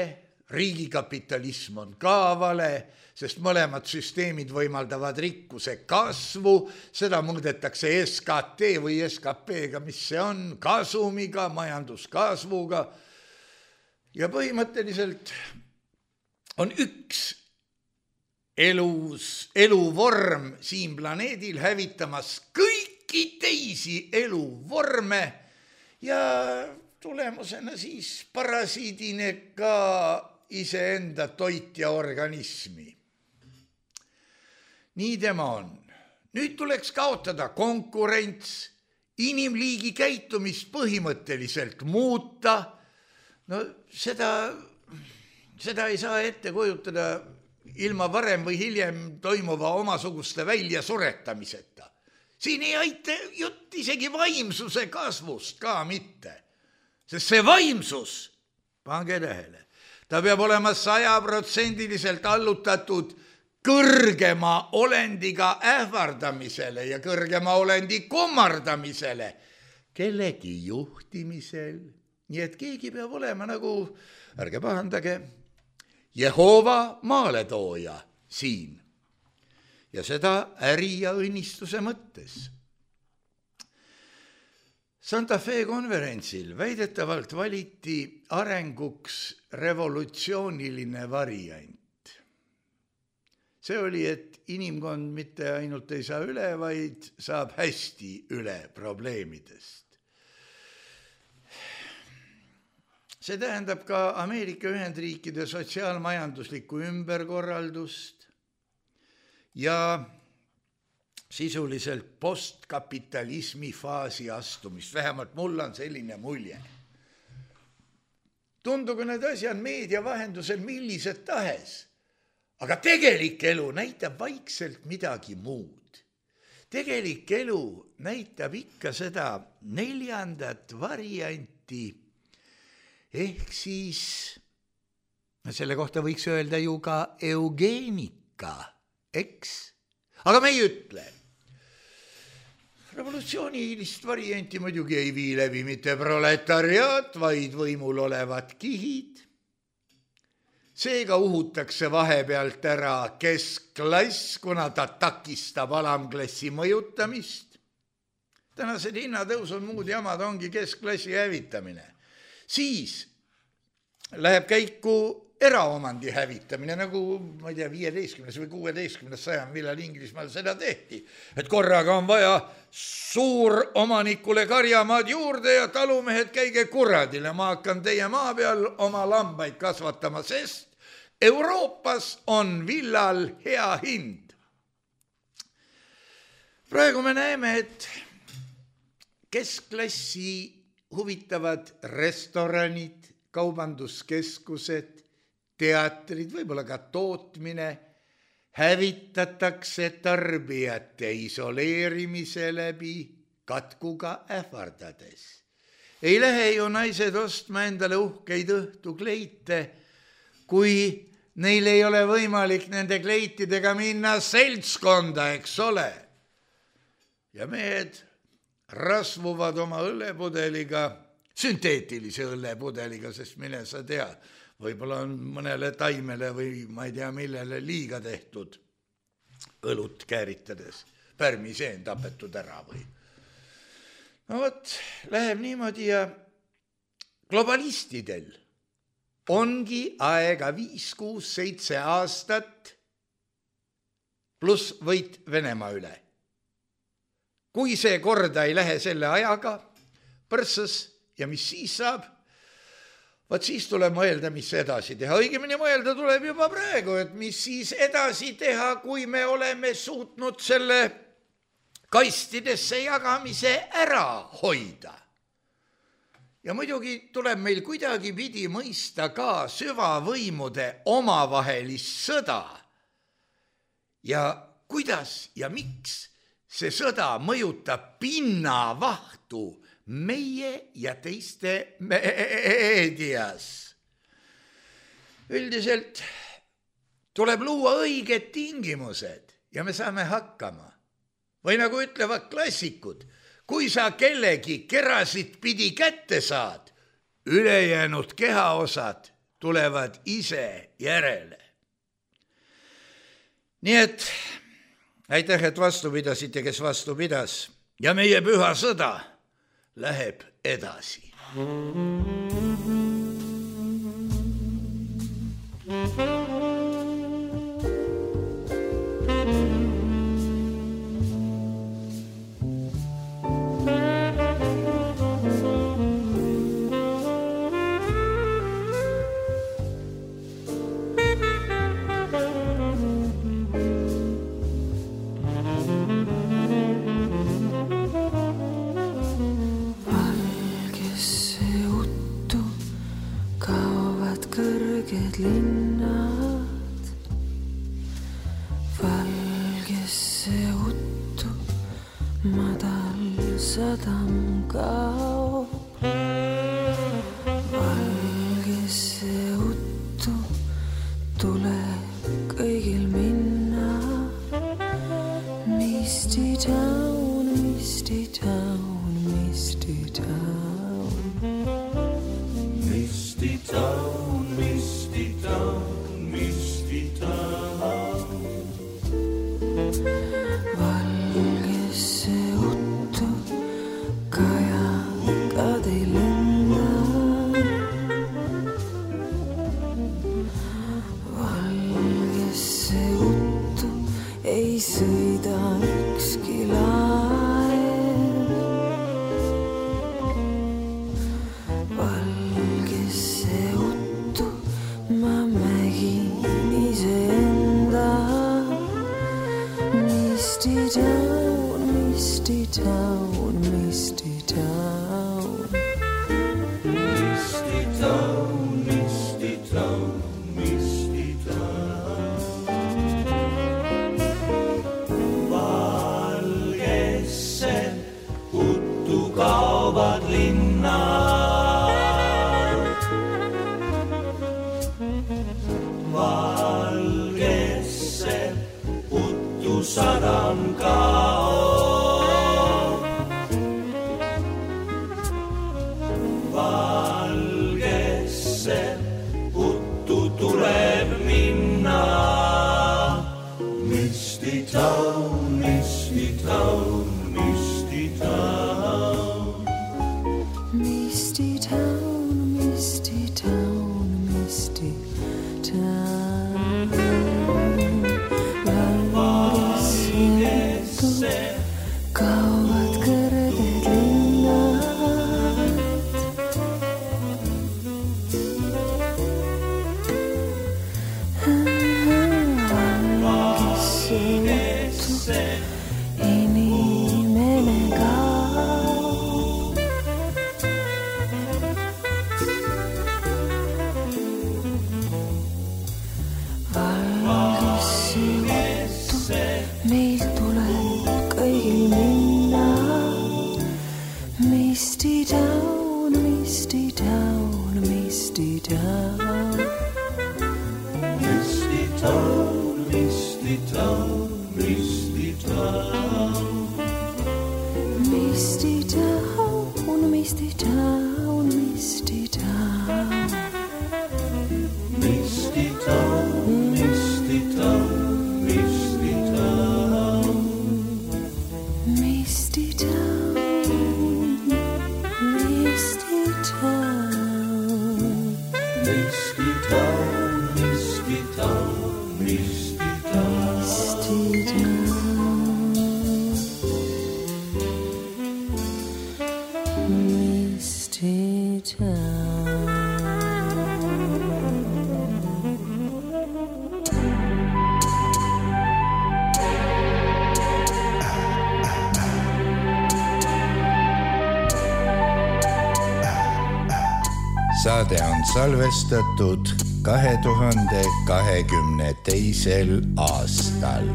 riigikapitalism on ka vale, sest mõlemad süsteemid võimaldavad rikkuse kasvu, seda mõõdetakse SKT või SKP-ga, mis see on, kasumiga, majanduskasvuga. Ja põhimõtteliselt on üks eluvorm siin planeedil hävitamas kõiki teisi eluvorme ja tulemusena siis parasiidine ka iseenda toitja organismi. Nii tema on. Nüüd tuleks kaotada konkurents, inimliigi käitumist põhimõtteliselt muuta. No seda ei saa ette kujutada ilma varem või hiljem toimuva omasuguste väljasuretamiseta. Siin ei aita jutt isegi vaimsuse kasvust ka mitte. Sest see vaimsus, pange tähele, ta peab olema 100% allutatud kõrgema olendiga ähvardamisele ja kõrgema olendi kummardamisele, kellegi juhtimisel. Nii et keegi peab olema nagu, ärge pahandage, Jehova maaletooja siin. Ja seda äri ja õnnistuse mõttes. Santa Fe konverentsil väidetavalt valiti arenguks revolutsiooniline variant. See oli, et inimkond mitte ainult ei saa üle, vaid saab hästi üle probleemidest. See tähendab ka Ameerika Ühendriikide sotsiaalmajanduslikku ümberkorraldust ja sisuliselt postkapitalismi faasi astumist. Vähemalt mul on selline mulje. Tundugu need asjad meedia vahendusel millised tahes, aga tegelik elu näitab vaikselt midagi muud. Tegelik elu näitab ikka seda 4. varianti, ehk siis, selle kohta võiks öelda ju ka eugeenika, eks? Aga me ei ütle. Revolutsioonilist varianti muidugi ei vii läbi mitte proletariaat, vaid võimul olevad kihid. Seega uhutakse vahepealt ära keskklass, kuna ta takistab alamklassi mõjutamist. Tänased hinnatõus on muud jamad, ongi keskklassi hävitamine. Siis läheb käiku eraomandi hävitamine, nagu ma ei tea, 15. või 16. sajand, millal Inglismaal seda tehti. Et korraga on vaja suuromanikule karjamaad juurde ja talumehed käige kuradile. Ma hakkan teie maa peal oma lambaid kasvatama, sest Euroopas on villal hea hind. Praegu me näeme, et keskklassi huvitavad restoranid, kaubanduskeskused, teatrid, võib-olla ka tootmine hävitatakse tarbijate isoleerimise läbi, katkuga ähvardades. Ei lähe ju naised ostma endale uhkeid õhtukleite, kui neil ei ole võimalik nende kleitidega minna seltskonda, eks ole. Ja mehed rasvuvad oma õllepudeliga, sünteetilise õllepudeliga, sest mine sa tea, võib-olla on mõnele taimele või ma ei tea millele liiga tehtud õlut kääritades, pärmiseen tapetud ära või. No võt, läheb niimoodi ja globalistidel ongi aega 5, 6, 7 aastat pluss võit Venemaa üle. Kui see korda ei lähe selle ajaga, põrsas ja mis siis saab, vaat siis tuleb mõelda, mis edasi teha. Õigemini mõelda tuleb juba praegu, et mis siis edasi teha, kui me oleme suutnud selle kastidesse jagamise ära hoida. Ja muidugi tuleb meil kuidagi pidi mõista ka süvavõimude omavahelist sõda. Ja kuidas ja miks see sõda mõjutab pinnavahtu meie ja teiste meedias. Üldiselt tuleb luua õiged tingimused ja me saame hakkama. Või nagu ütlevad klassikud, kui sa kellegi kerasid pidi kätte saad, ülejäänud kehaosad tulevad ise järele. Nii et aitäh, et vastu pidasite, kes vastu pidas ja meie püha sõda läheb edasi. Linnad valgesse uttu madal sadam kaob. Valgesse uttu tuleb kõigil minna. Misty town, misty town, misty town. Misty town, misty town, misty town. Valgesse uttu kajakad ei lenda. Valgesse uttu ei sõida ükski laev. Valgesse uttu ma mägin iseenda. Misty town, misty town, misty town. Misty town, misty town, misty town. Valgesse uttu kaovad linnad. Valgesse uttu sadam kaob. Valgesse uttu tuleb minna. Misty town, misty town, misty town. Misty town, misty town, misty town. Valgesse kaovad kõrged linnad. Valgesse inimene kaob. Valgesse uttu meil tuleb kõigil minna. Misty town, misty town, misty town. Misty town, misty town, misty town. Misty town, misty town, misty town. Misty town, misty town, misty town. Misty town, misty town. Misty town, misty town, misty town. Misty town. Saade on salvestatud 2022. aastal.